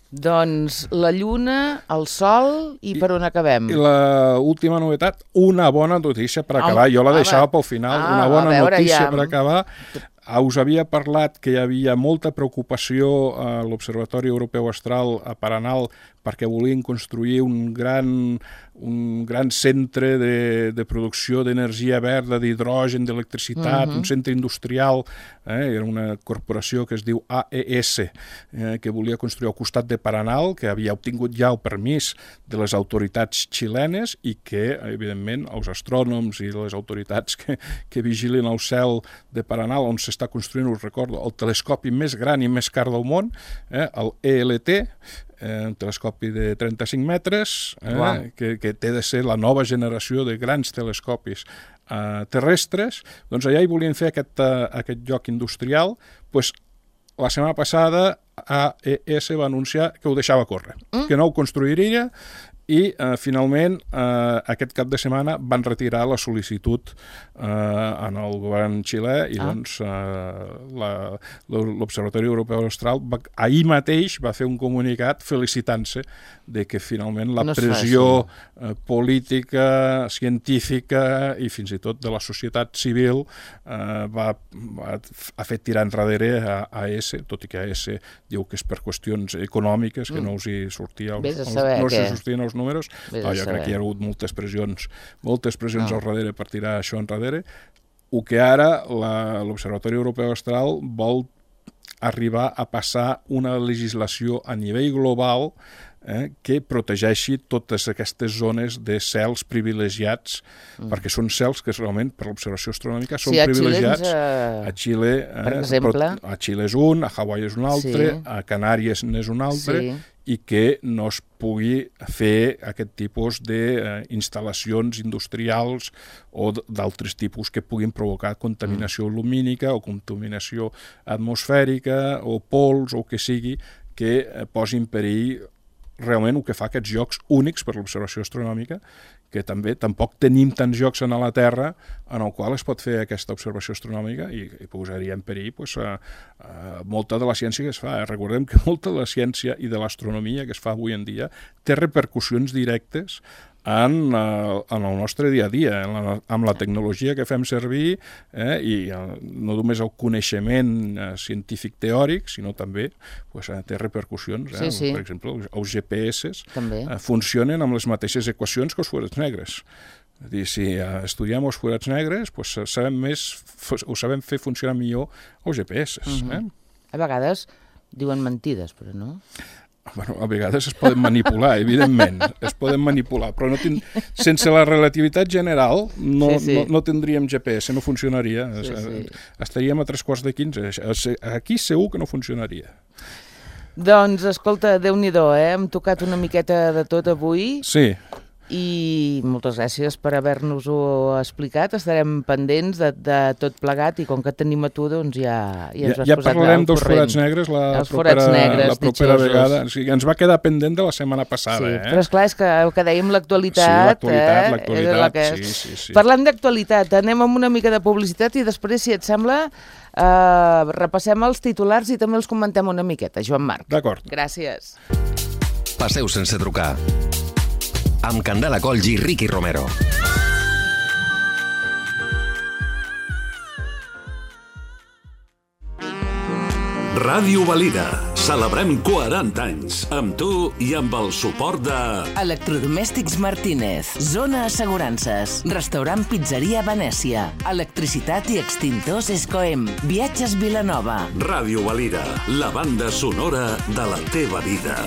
Doncs la Lluna, el Sol i, I per on acabem? I l'última novetat, una bona notícia per acabar. Oh, jo la deixava home. pel final. Ah, una bona veure, notícia ja... per acabar. Us havia parlat que hi havia molta preocupació a l'Observatori Europeu Astral a Paranal perquè volien construir un gran, un gran centre de, de producció d'energia verda, d'hidrogen, d'electricitat, uh-huh. un centre industrial, eh? Era una corporació que es diu A E S, eh? que volia construir al costat de Paranal, que havia obtingut ja el permís de les autoritats xilenes i que, evidentment, els astrònoms i les autoritats que, que vigilin el cel de Paranal, on s'està construint, us recordo, el telescopi més gran i més car del món, eh? el E L T, eh, un telescopi de trenta-cinc metres, eh? wow. que, que té de ser la nova generació de grans telescopis eh, terrestres. Doncs allà hi volien fer aquest, uh, aquest lloc industrial. Pues, la setmana passada A E S va anunciar que ho deixava córrer, mm. que no ho construiria, i eh, finalment eh, aquest cap de setmana van retirar la sol·licitud eh, en el govern xilè i ah. doncs eh, l'Observatori Europeu Austral va, ahir mateix va fer un comunicat felicitant-se de que finalment la no pressió eh, política, científica i fins i tot de la societat civil eh, va, va, ha fet tirar enrere a A E S, tot i que A E S diu que és per qüestions econòmiques, que mm. no us hi sortia els, els, no que... sortien els números, però jo crec que hi ha hagut moltes pressions, moltes pressions no. al darrere per tirar això enrere. O que ara l'Observatori Europeu Astral vol arribar a passar una legislació a nivell global eh, que protegeixi totes aquestes zones de cels privilegiats, mm. perquè són cels que realment, per l'observació astronòmica, són sí, a privilegiats. Xilens, uh, a Xile, eh, per exemple. A Xile és un, a Hawaii és un altre, sí. a Canàries n'és un altre, sí. i que no es pugui fer aquest tipus d'instal·lacions industrials o d'altres tipus que puguin provocar contaminació mm. lumínica o contaminació atmosfèrica o pols o que sigui que posi en perill realment el que fa aquests llocs únics per l'observació astronòmica, que també tampoc tenim tants llocs a la Terra en el qual es pot fer aquesta observació astronòmica i, i posaria en perill pues, a, a molta de la ciència que es fa. Eh? Recordem que molta de la ciència i de l'astronomia que es fa avui en dia té repercussions directes en, uh, en el nostre dia a dia, en la, amb la tecnologia que fem servir eh, i uh, no només el coneixement uh, científic teòric, sinó també pues, uh, té repercussions. Eh? Sí, sí. Per exemple, els G P S uh, funcionen amb les mateixes equacions que els forats negres. És dir, si uh, estudiem els forats negres, pues, sabem més, ho sabem fer funcionar millor els G P S. Uh-huh. eh? A vegades diuen mentides, però no? Bueno, a vegades es poden manipular, evidentment, es poden manipular, però no ten... sense la relativitat general no, sí, sí. no, no tindríem G P S, no funcionaria. Sí, sí. Estaríem a tres quarts de quinze. Aquí segur que no funcionaria. Doncs, escolta, Déu-n'hi-do, eh? Hem tocat una miqueta de tot avui. Sí. I moltes gràcies per haver-nos-ho explicat. Estarem pendents de, de tot plegat i com que tenim a tu, doncs ja, ja ens has ja, ja posat al corrent. Ja parlarem dels forats negres la Els propera, negres, la propera vegada. O sigui, ens va quedar pendent de la setmana passada. Sí, eh? però esclar, és que el que dèiem, l'actualitat... Sí, l'actualitat, eh? l'actualitat, la sí, sí, sí. Parlant d'actualitat, anem amb una mica de publicitat i després, si et sembla, eh, repassem els titulars i també els comentem una miqueta. Joan Marc. D'acord. Gràcies. Passeu sense trucar. Amb Candela Colls i Ricky Romero. Ràdio Valira. Celebrem quaranta anys. Amb tu i amb el suport de... Electrodomèstics Martínez. Zona Assegurances. Restaurant Pizzeria Venècia. Electricitat i extintors Escoem. Viatges Vilanova. Ràdio Valira. La banda sonora de la teva vida.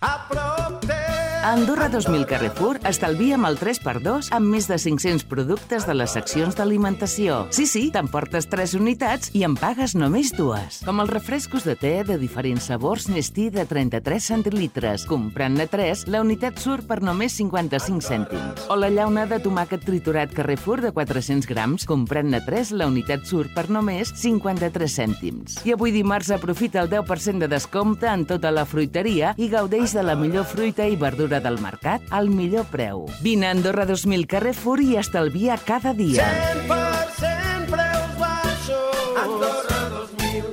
A prop teu A Andorra dos mil Carrefour estalvia amb el tres per dos amb més de cinc-cents productes de les seccions d'alimentació. Sí, sí, t'emportes tres unitats i en pagues només dues. Com els refrescos de te de diferents sabors Nestí de trenta-tres centilitres. Comprant-ne tres, la unitat surt per només cinquanta-cinc cèntims. O la llauna de tomàquet triturat Carrefour de quatre-cents grams. Comprant-ne tres, la unitat surt per només cinquanta-tres cèntims. I avui dimarts aprofita el deu per cent de descompte en tota la fruiteria i gaudeix de la millor fruita i verdura del mercat al millor preu. Vine a Andorra dos mil Carrefour i estalvia cada dia. cent per cent preus baixos. Andorra dos mil.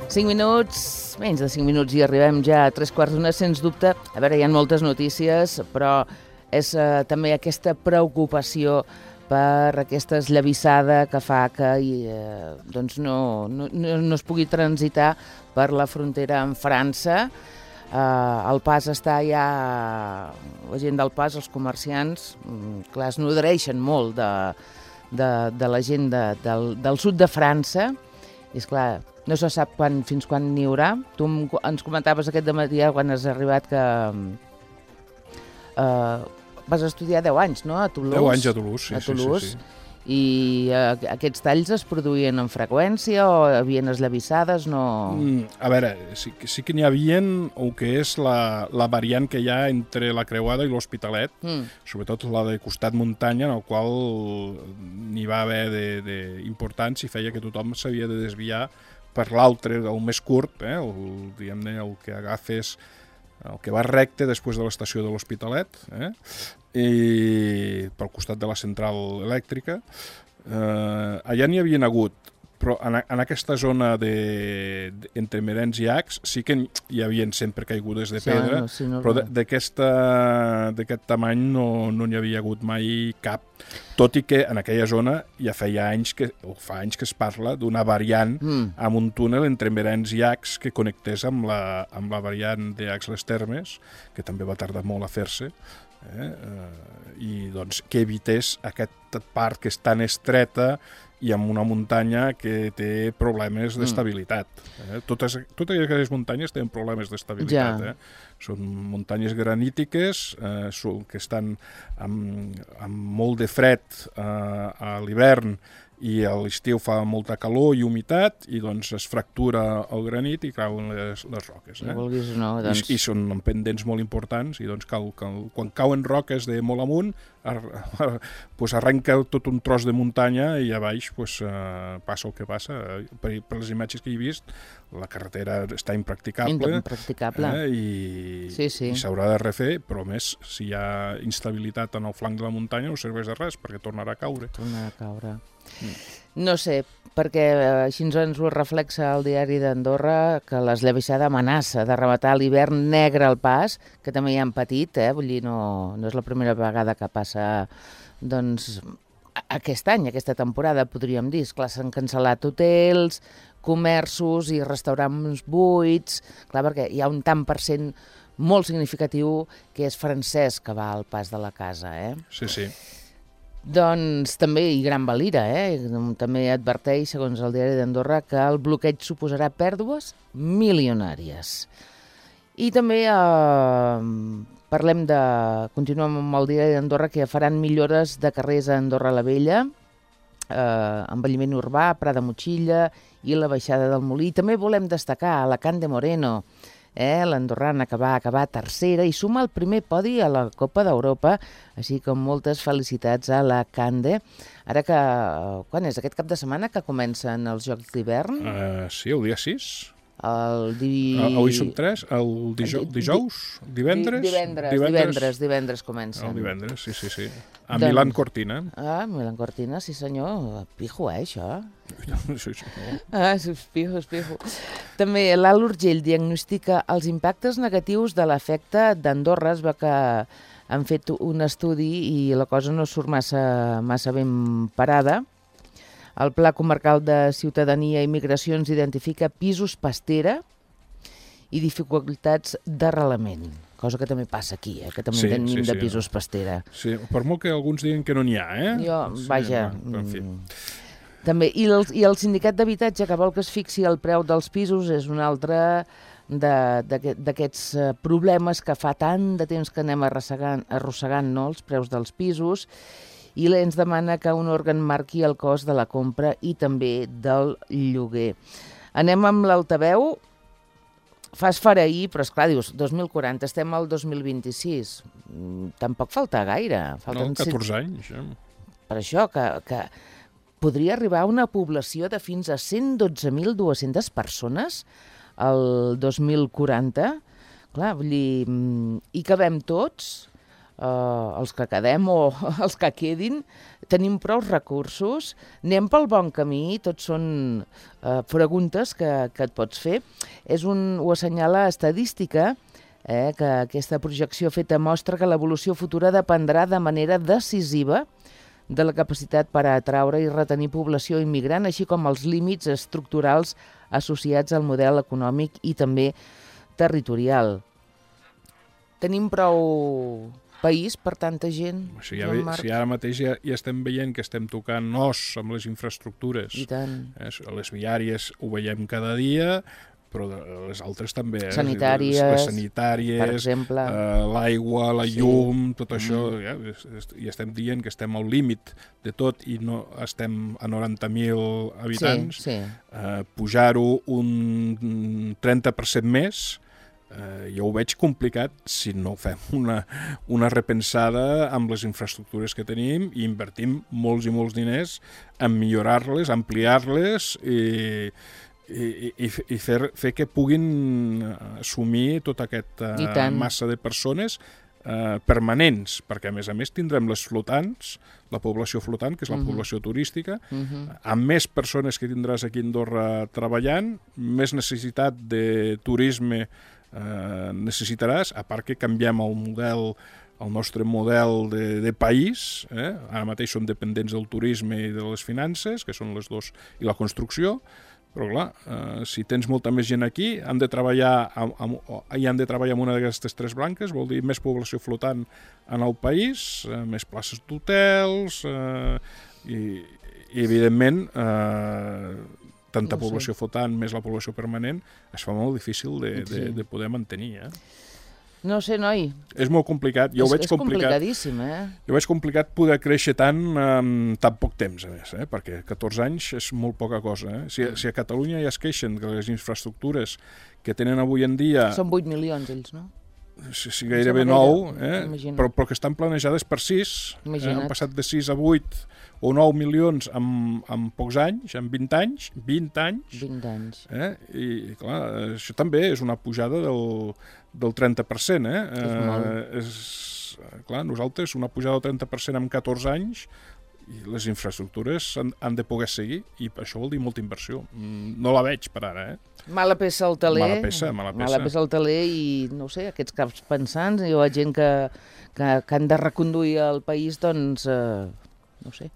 Cinc minuts, menys de cinc minuts i arribem ja a tres quarts d'una, sens dubte. A veure, hi ha moltes notícies, però és eh, també aquesta preocupació per aquesta esllavissada que fa que eh, doncs no, no, no es pugui transitar per la frontera amb França. Eh, el pas està ja... La gent del pas, els comerciants, clar, es nodreixen molt de, de, de la gent de, del, del sud de França. I, esclar, no se sap quan, fins quan n'hi haurà. Tu ens comentaves aquest dematí, quan has arribat, que... Eh, vas estudiar deu anys, no?, a Toulouse. deu anys a Toulouse, sí, a Toulouse. sí, sí, sí. I uh, aquests talls es produïen amb freqüència o havien eslavissades? No... Mm, a veure, sí, sí que n'hi havia el que és la, la variant que hi ha entre la Creuada i l'Hospitalet, mm. sobretot la de costat muntanya, en el qual n'hi va haver d'importants i feia que tothom s'havia de desviar per l'altre, el més curt, eh, el, diguem-ne, el que agafes el que va recte després de l'estació de l'Hospitalet, eh? I pel costat de la central elèctrica. Eh, allà n'hi havien hagut, però en, en aquesta zona de, de, entre Merens i Ax sí que hi havien sempre caigudes de pedra, sí, no, sí, no, però d'aquest tamany no no n'hi havia hagut mai cap. Tot i que en aquella zona ja feia anys que, o fa anys que es parla d'una variant mm. amb un túnel entre Merens i Ax que connectés amb la, amb la variant d'Ax-les Termes, que també va tardar molt a fer-se, eh? eh, i doncs que evités aquesta part que és tan estreta i amb una muntanya que té problemes d'estabilitat. Eh? Totes, totes aquelles muntanyes tenen problemes d'estabilitat. Ja. Eh? Són muntanyes granítiques eh, que estan amb, amb molt de fred eh, a l'hivern i a l'estiu fa molta calor i humitat i doncs es fractura el granit i cauen les, les roques. Eh? No vulguis, no, doncs... I, I són pendents molt importants i doncs cal, cal, quan cauen roques de molt amunt ar, ar, pues arrenca tot un tros de muntanya i a baix pues, uh, passa el que passa. Per, per les imatges que he vist, la carretera està impracticable, impracticable. Eh? I, sí, sí. i s'haurà de refer, però més, si hi ha instabilitat en el flanc de la muntanya no serveix de res perquè tornarà a caure. Tornarà a caure. Mm. No sé, perquè així ens ho reflexa el diari d'Andorra, que l'esllavissada amenaça de rematar l'hivern negre al pas, que també hi han patit, eh? Vull dir, no, no és la primera vegada que passa doncs, aquest any, aquesta temporada, podríem dir. Clar, s'han cancel·lat hotels, comerços i restaurants buits, clar, perquè hi ha un tant per cent molt significatiu que és francès que va al pas de la casa, eh? Sí, sí. Doncs també, i Gran Valira, eh? també adverteix, segons el diari d'Andorra, que el bloqueig suposarà pèrdues milionàries. I també eh, parlem de... Continuem amb el diari d'Andorra, que faran millores de carrers a Andorra la Vella, eh, envelliment urbà, Prat de Motxilla i la baixada del Molí. També volem destacar Alacant de Moreno, Eh, l'andorrana que va acabar tercera i suma el primer podi a la Copa d'Europa, així com moltes felicitats a la Cande. Ara que, quan és? Aquest cap de setmana que comencen els Jocs d'hivern? Uh, sí, el dia sis. El di... Uh, avui som tres, el dijous, dijous? Divendres? Divendres, divendres, divendres comencen. El divendres, sí, sí, sí. A doncs... Milan Cortina. Ah, Milan Cortina, sí senyor. Pijo, eh, això? Sí, sí. Ah, és pijo, és pijo. També l'Alt Urgell diagnostica els impactes negatius de l'efecte d'Andorra. Es veu que han fet un estudi i la cosa no surt massa, massa ben parada. El Pla Comarcal de Ciutadania i Migracions identifica pisos pastera i dificultats d'arrelament, cosa que també passa aquí, eh? Que també sí, tenim sí, de sí, pisos pastera. Sí, per molt que alguns diguen que no n'hi ha, eh? Jo, sí, vaja... En fi. També. I el, i el sindicat d'habitatge que vol que es fixi el preu dels pisos és un altre d'aquests problemes que fa tant de temps que anem arrossegant, arrossegant no, els preus dels pisos, i ens demana que un òrgan marqui el cost de la compra i també del lloguer. Anem amb l'altaveu. Fas farair, però esclar, dius, dos mil quaranta, estem al dos mil vint-i-sis. Tampoc falta gaire. Falten no, catorze anys. Eh? Per això, que, que podria arribar a una població de fins a cent dotze mil dues-centes persones el dos mil quaranta. Clar, vull dir, hi cabem tots, Uh, els que quedem o els que quedin, tenim prou recursos, anem pel bon camí, tots són uh, preguntes que, que et pots fer. És un, ho assenyala estadística, eh, que aquesta projecció feta mostra que l'evolució futura dependrà de manera decisiva de la capacitat per atraure i retenir població immigrant, així com els límits estructurals associats al model econòmic i també territorial. Tenim prou país per tanta gent. Si, ja ve, si ara mateix ja, ja estem veient que estem tocant os amb les infraestructures, I tant. Eh, les viàries ho veiem cada dia, però les altres també. Eh? Sanitàries, les, les sanitàries, per exemple. Eh, l'aigua, la sí. llum, tot això, mm. ja, i estem dient que estem al límit de tot i no estem a noranta mil habitants. Sí, sí. Eh, pujar-ho un trenta per cent més, Uh, jo ho veig complicat si no fem una, una repensada amb les infraestructures que tenim i invertim molts i molts diners en millorar-les, ampliar-les i, i, i, i fer, fer que puguin assumir tota aquesta uh, massa de persones uh, permanents, perquè a més a més tindrem les flotants, la població flotant, que és la uh-huh. població turística, uh-huh. amb més persones que tindràs aquí a Andorra treballant, més necessitat de turisme Uh, necessitaràs, a part que canviem el model, el nostre model de, de país, eh? Ara mateix som dependents del turisme i de les finances, que són les dos, i la construcció, però clar, uh, si tens molta més gent aquí, han de treballar amb, amb, hi han de treballar amb una d'aquestes tres branques, vol dir més població flotant en el país, uh, més places d'hotels, uh, i, i evidentment uh, tanta no població flotant més la població permanent, es fa molt difícil de, sí. de, de poder mantenir. Eh? No sé, noi. És molt complicat. Jo és, ho veig és complicat. complicadíssim, eh? Jo veig complicat poder créixer tant en tan poc temps, a més, eh? Perquè catorze anys és molt poca cosa. Eh? Si, si a Catalunya ja es queixen que les infraestructures que tenen avui en dia... Són vuit milions, ells, no? Si, si gairebé nou, eh? però, però que estan planejades per sis. Eh? Han passat de sis a vuit o nou milions en, en pocs anys, en vint anys, vint anys. vint anys. Eh? I, clar, això també és una pujada del, del trenta per cent. Eh? És molt. Eh, és, clar, nosaltres una pujada del trenta per cent en catorze anys, i les infraestructures han, han de poder seguir, i això vol dir molta inversió. No la veig per ara, eh? Mala peça al taler. Mala peça, mala peça. Mala peça al taler i, no sé, aquests caps pensants, hi ha gent que, que, que han de reconduir el país, doncs, eh, no sé,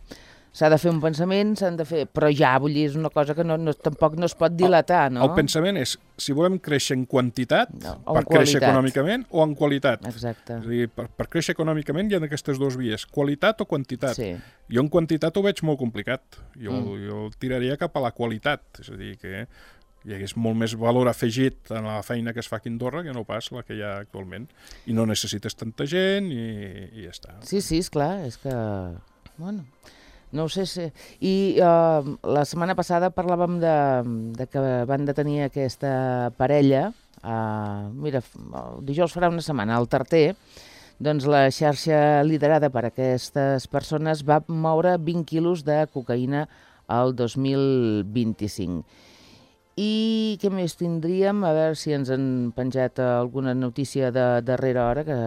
s'ha de fer un pensament, s'han de fer... Però ja, vull dir, és una cosa que no, no, tampoc no es pot dilatar, no? El pensament és, si volem créixer en quantitat, no, per en créixer qualitat. econòmicament, o en qualitat. Exacte. És a dir, per, per créixer econòmicament hi ha aquestes dues vies, qualitat o quantitat. Sí. Jo en quantitat ho veig molt complicat. Jo, Mm. jo tiraria cap a la qualitat, és a dir, que hi hagués molt més valor afegit en la feina que es fa aquí a Andorra que no pas la que hi ha actualment. I no necessites tanta gent i, i ja està. Sí, sí, esclar, és que... Bueno, no ho sé si... I uh, la setmana passada parlàvem de, de que van detenir aquesta parella, uh, mira, el dijous farà una setmana, al Tarter, doncs la xarxa liderada per aquestes persones va moure vint quilos de cocaïna al dos mil vint-i-cinc. I què més tindríem? A veure si ens han penjat alguna notícia de darrera hora, que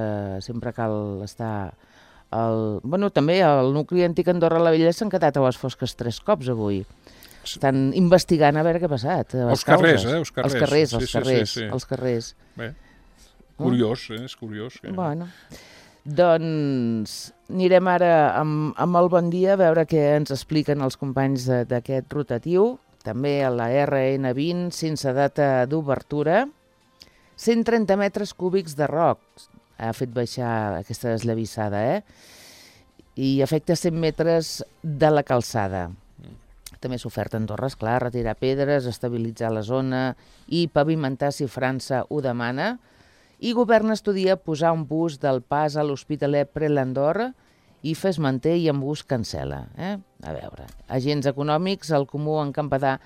sempre cal estar... El... Bueno, també el nucli antic Andorra la Vella s'han quedat a les fosques tres cops avui. Estan investigant a veure què ha passat. Els carrers, eh? Els carrers, els carrers, els sí, carrers, sí, sí, sí. els carrers. Bé, curiós, eh? És curiós. Que... Bueno, doncs anirem ara amb, amb el bon dia a veure què ens expliquen els companys d'aquest rotatiu. També a la R N vint, sense data d'obertura. cent trenta metres cúbics de roc ha fet baixar aquesta esllavissada, eh? I afecta cent metres de la calçada. També s'ha ofert a Andorra, esclar, retirar pedres, estabilitzar la zona i pavimentar si França ho demana. I govern estudia posar un bus del pas a l'Hospitalet Prelandor i Fes manté i en bus cancel·la. Eh? A veure, agents econòmics, el Comú en Campadà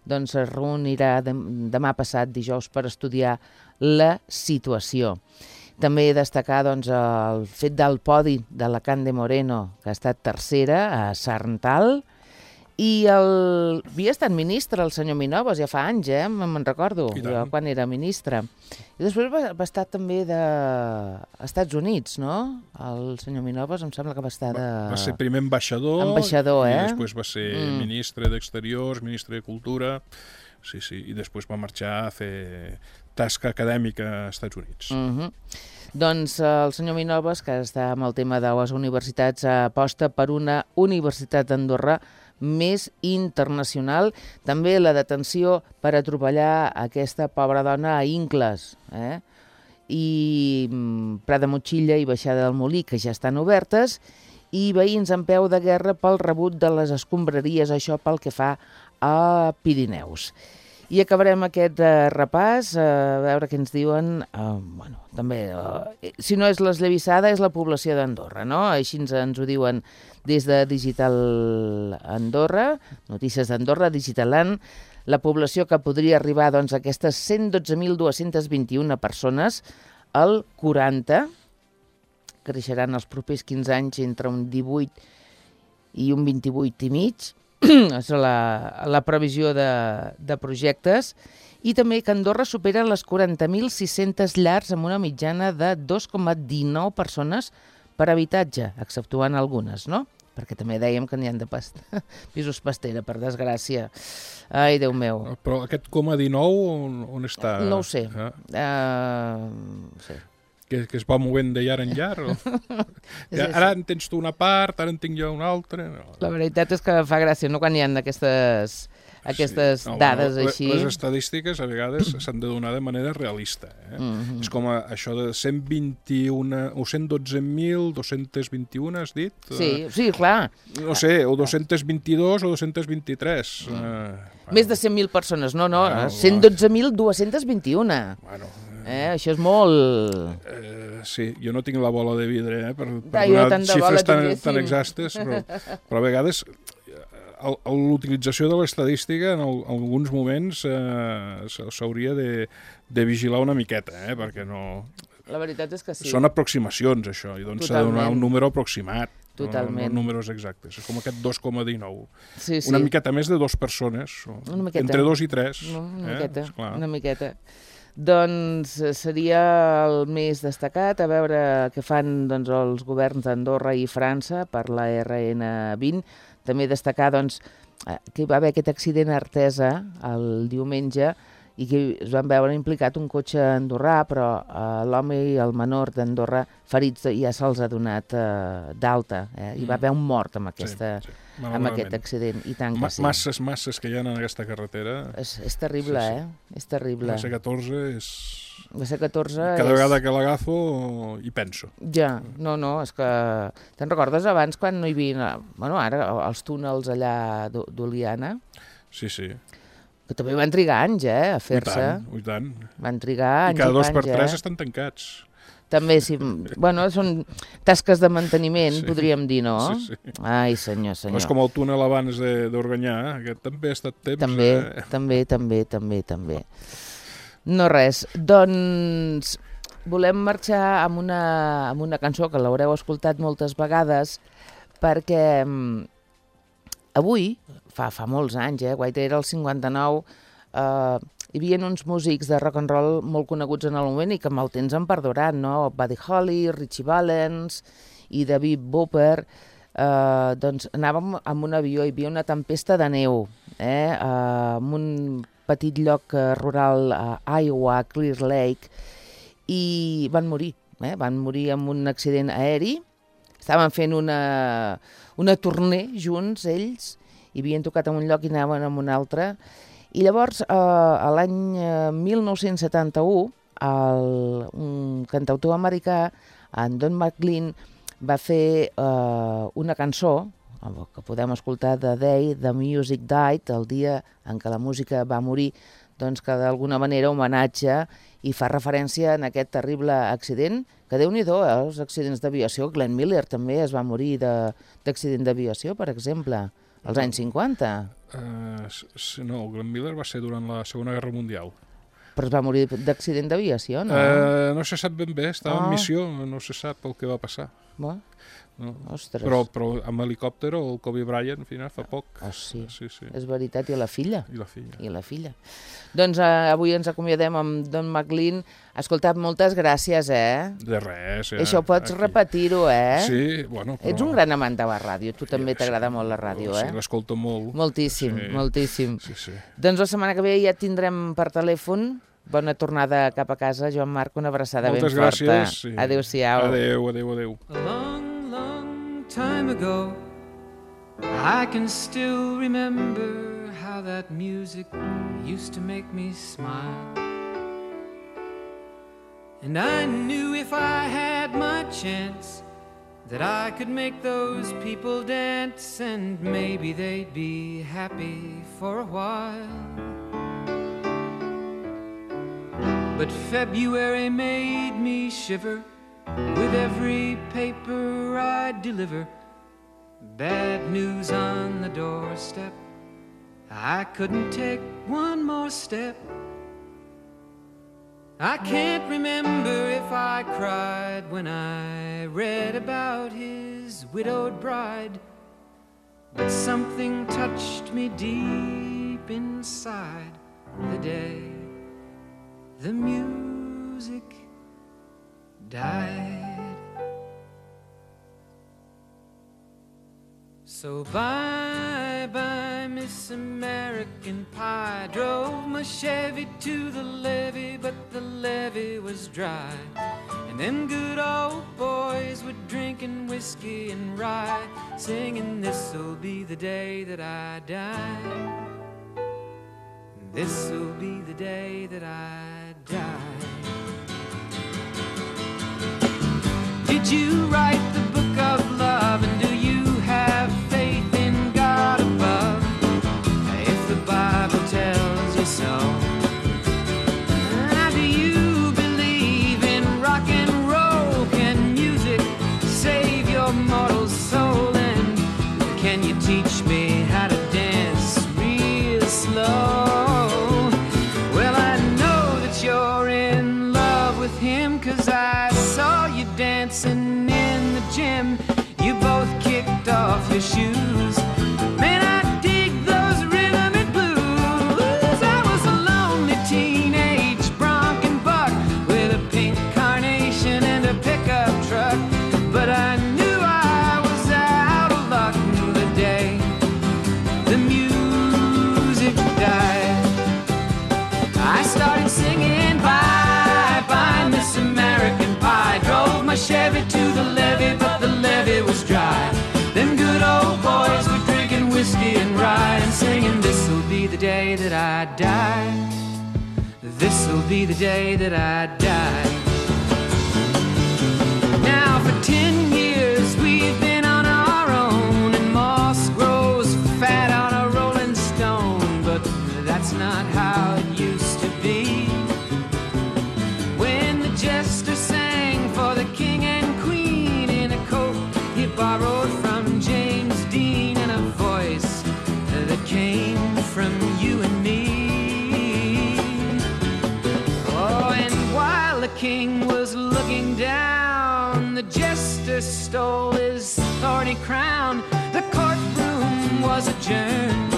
doncs, es reunirà demà passat, dijous, per estudiar la situació. També destacar doncs, el fet del podi de la Can de Moreno, que ha estat tercera a Sarntal, i el... havia estat ministre, el senyor Minovas, ja fa anys, eh? me'n recordo, jo, quan era ministre. I després va, va estar també de... als Estats Units, no? El senyor Minovas em sembla que va estar de... Va, va ser primer ambaixador, ambaixador eh? i després va ser mm. ministre d'Exteriors, ministre de Cultura, sí, sí, i després va marxar a fer tasca acadèmica als Estats Units. Mm-hmm. Doncs el senyor Minovas, que està amb el tema de les universitats, aposta per una universitat d'Andorra més internacional. També la detenció per atropellar aquesta pobra dona a Incles, eh? i Prat de Motxilla i Baixada del Molí, que ja estan obertes, i veïns en peu de guerra pel rebut de les escombraries, això pel que fa a Pirineus. I acabarem aquest uh, repàs, uh, a veure què ens diuen. Uh, bueno, també, uh, si no és l'esllavissada, és la població d'Andorra, no? Així ens, ens ho diuen des de Digital Andorra, Notícies d'Andorra, Digitaland, la població que podria arribar doncs, a aquestes cent dotze mil dos-cents vint-i-una persones, el quaranta, creixeran els propers quinze anys entre un divuit i un vint-i-vuit i mig, és la, la previsió de, de projectes, i també que Andorra supera les quaranta mil sis-centes llars amb una mitjana de dos coma dinou persones per habitatge, exceptuant algunes, no? Perquè també dèiem que n'hi ha de past... pisos pastera, per desgràcia. Ai, Déu meu. Però aquest coma dinou on, on està? No ho sé. Ah. Uh, sí. Que, que es va movent de llar en llar? O... ja, ara en tens tu una part, ara en tinc jo una altra... No. La veritat és que fa gràcia, no?, quan hi ha aquestes, aquestes sí. no, dades no, així. Les estadístiques a vegades s'han de donar de manera realista. Eh? Mm-hmm. És com a, això de cent vint-i-un o cent dotze mil dos-cents vint-i-un, has dit? Sí, sí, clar. No sé, o dos-cents vint-i-dos o dos-cents vint-i-tres. Mm. Eh, bueno. Més de cent mil persones, no, no, bueno, cent dotze mil dos-cents vint-i-un. Bueno, Eh, això és molt... Eh, sí, jo no tinc la bola de vidre eh, per, per ja, donar xifres tan, tinguéssim. tan exactes, però, però a vegades l'utilització de l'estadística en, el, en alguns moments eh, s'hauria de, de vigilar una miqueta, eh, perquè no... La veritat és que sí. Són aproximacions, això, i doncs s'ha de donar un número aproximat. Totalment. No, no números exactes. És com aquest dos coma dinou. Sí, sí. Una miqueta més de dues persones. Una miqueta. Entre dos i tres. No, una eh? miqueta, Esclar. una miqueta. Doncs seria el més destacat, a veure què fan doncs, els governs d'Andorra i França per la R N vint. També destacar doncs, que hi va haver aquest accident a Artesa el diumenge i que es van veure implicat un cotxe andorrà, però eh, l'home i el menor d'Andorra ferits ja se'ls ha donat eh, d'alta. Eh? Hi va haver un mort amb, aquesta, sí, sí. amb aquest accident. I tant que Ma sí. Masses, masses que hi ha en aquesta carretera. És, és terrible, sí, sí. eh? És terrible. La C catorze és... La C catorze Cada és... vegada que l'agafo hi penso. Ja, no, no, és que... Te'n recordes abans quan no hi havia... Bueno, ara els túnels allà d'Oliana? Sí, sí. Que també van trigar anys, eh, a fer-se. I tant, i tant. Van trigar anys I cada dos anys, per tres eh? estan tancats. També, sí. Bueno, són tasques de manteniment, sí, podríem dir, no? Sí, sí. Ai, senyor, senyor. És com el túnel abans d'Organyà, aquest també ha estat temps. També, eh? també, també, també, també. No res. Doncs volem marxar amb una, amb una cançó que l'haureu escoltat moltes vegades, perquè avui, fa, fa molts anys, eh, White era el cinquanta-nou, eh, hi havia uns músics de rock and roll molt coneguts en el moment i que amb el temps han perdurat, no? Buddy Holly, Ritchie Valens i David Boper. Eh, doncs anàvem amb un avió, hi havia una tempesta de neu, eh, eh, en un petit lloc rural a Iowa, Clear Lake, i van morir, eh? Van morir en un accident aeri. Estaven fent una, una tournée junts, ells, i havien tocat en un lloc i anaven en un altre. I llavors, eh, l'any mil nou-cents setanta-u, el, un cantautor americà, en Don McLean, va fer eh, una cançó que podem escoltar The Day the Music Died, el dia en què la música va morir, doncs que d'alguna manera homenatge i fa referència en aquest terrible accident, que Déu-n'hi-do, eh, els accidents d'aviació. Glenn Miller també es va morir d'accident d'aviació, per exemple, als anys cinquanta. Uh, no, Glenn Miller va ser durant la Segona Guerra Mundial. Però es va morir d'accident d'aviació, no? Uh, no se sap ben bé, estava Oh. en missió, no se sap el que va passar. Bo. No. Ostres. Però, però amb helicòpter el Kobe Bryant, al final, fa poc. Oh, sí. Sí, sí. És veritat, i la filla. I la filla. I la filla. Doncs eh, avui ens acomiadem amb Don McLean. Escolta, moltes gràcies, eh? De res, eh? Això pots aquí. repetir-ho, eh? Sí, bueno, però... Ets un gran amant de la ràdio. Tu també Sí, t'agrada molt la ràdio, eh? Sí, l'escolto molt. Moltíssim, Sí. moltíssim. Sí, sí. Doncs la setmana que ve ja et tindrem per telèfon. Bona tornada cap a casa, Joan Marc, una abraçada Moltes ben forta. gràcies. Sí. Adéu-siau. Adéu, adéu, adéu. A long, long time ago, I can still remember how that music used to make me smile. And I knew if I had my chance that I could make those people dance, and maybe they'd be happy for a while. But February made me shiver with every paper I deliver. Bad news on the doorstep, I couldn't take one more step. I can't remember if I cried when I read about his widowed bride, but something touched me deep inside the day the music died. So bye-bye, Miss American Pie. Drove my Chevy to the levee, but the levee was dry. And them good old boys were drinking whiskey and rye, singing, this'll be the day that I die. This'll be the day that I die. Did you write the book of love, and do you have faith in God above? If the Bible tells you so. Now, do you believe in rock and roll? Can music save your mortal soul? And can you teach me how to dance real slow? Cause I saw you dancing in the gym. You both kicked off your shoes. Man, I dig those rhythm and blues. I was a lonely teenage bronc and buck with a pink carnation and a pickup truck. But I knew I was out of luck the day the music died. I started singing bye-bye, Miss American Pie. Drove my Chevy to the levee, but the levee was dry. Them good old boys were drinking whiskey and rye and singing, this'll be the day that I die. This'll be the day that I die. Now for ten years we've been on our own, and moss grows fat on a rolling stone. But that's not how it used to be. When the jester sang for the king and queen in a coat he borrowed from James Dean, and a voice that came from you and me. Oh, and while the king was looking down, the jester stole his thorny crown. The courtroom was adjourned.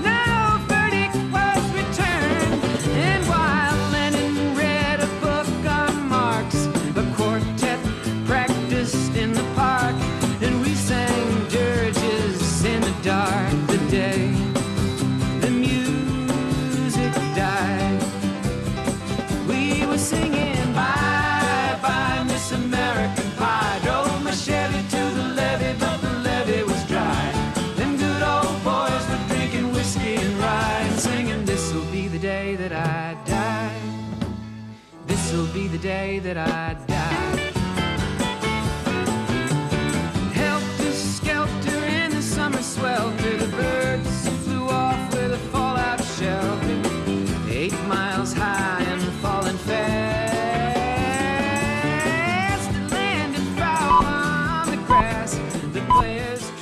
No verdict was returned. And while Lenin read a book on Marx, the quartet practiced in the park, and we sang dirges in the dark the day the music died. We were singing bye-bye, Miss American Pie. Drove my Chevy to the levee, but the levee was dry. Them good old boys were drinking whiskey and rye and singing, this'll be the day that I die. This'll be the day that I die. Helter-skelter in grass. The players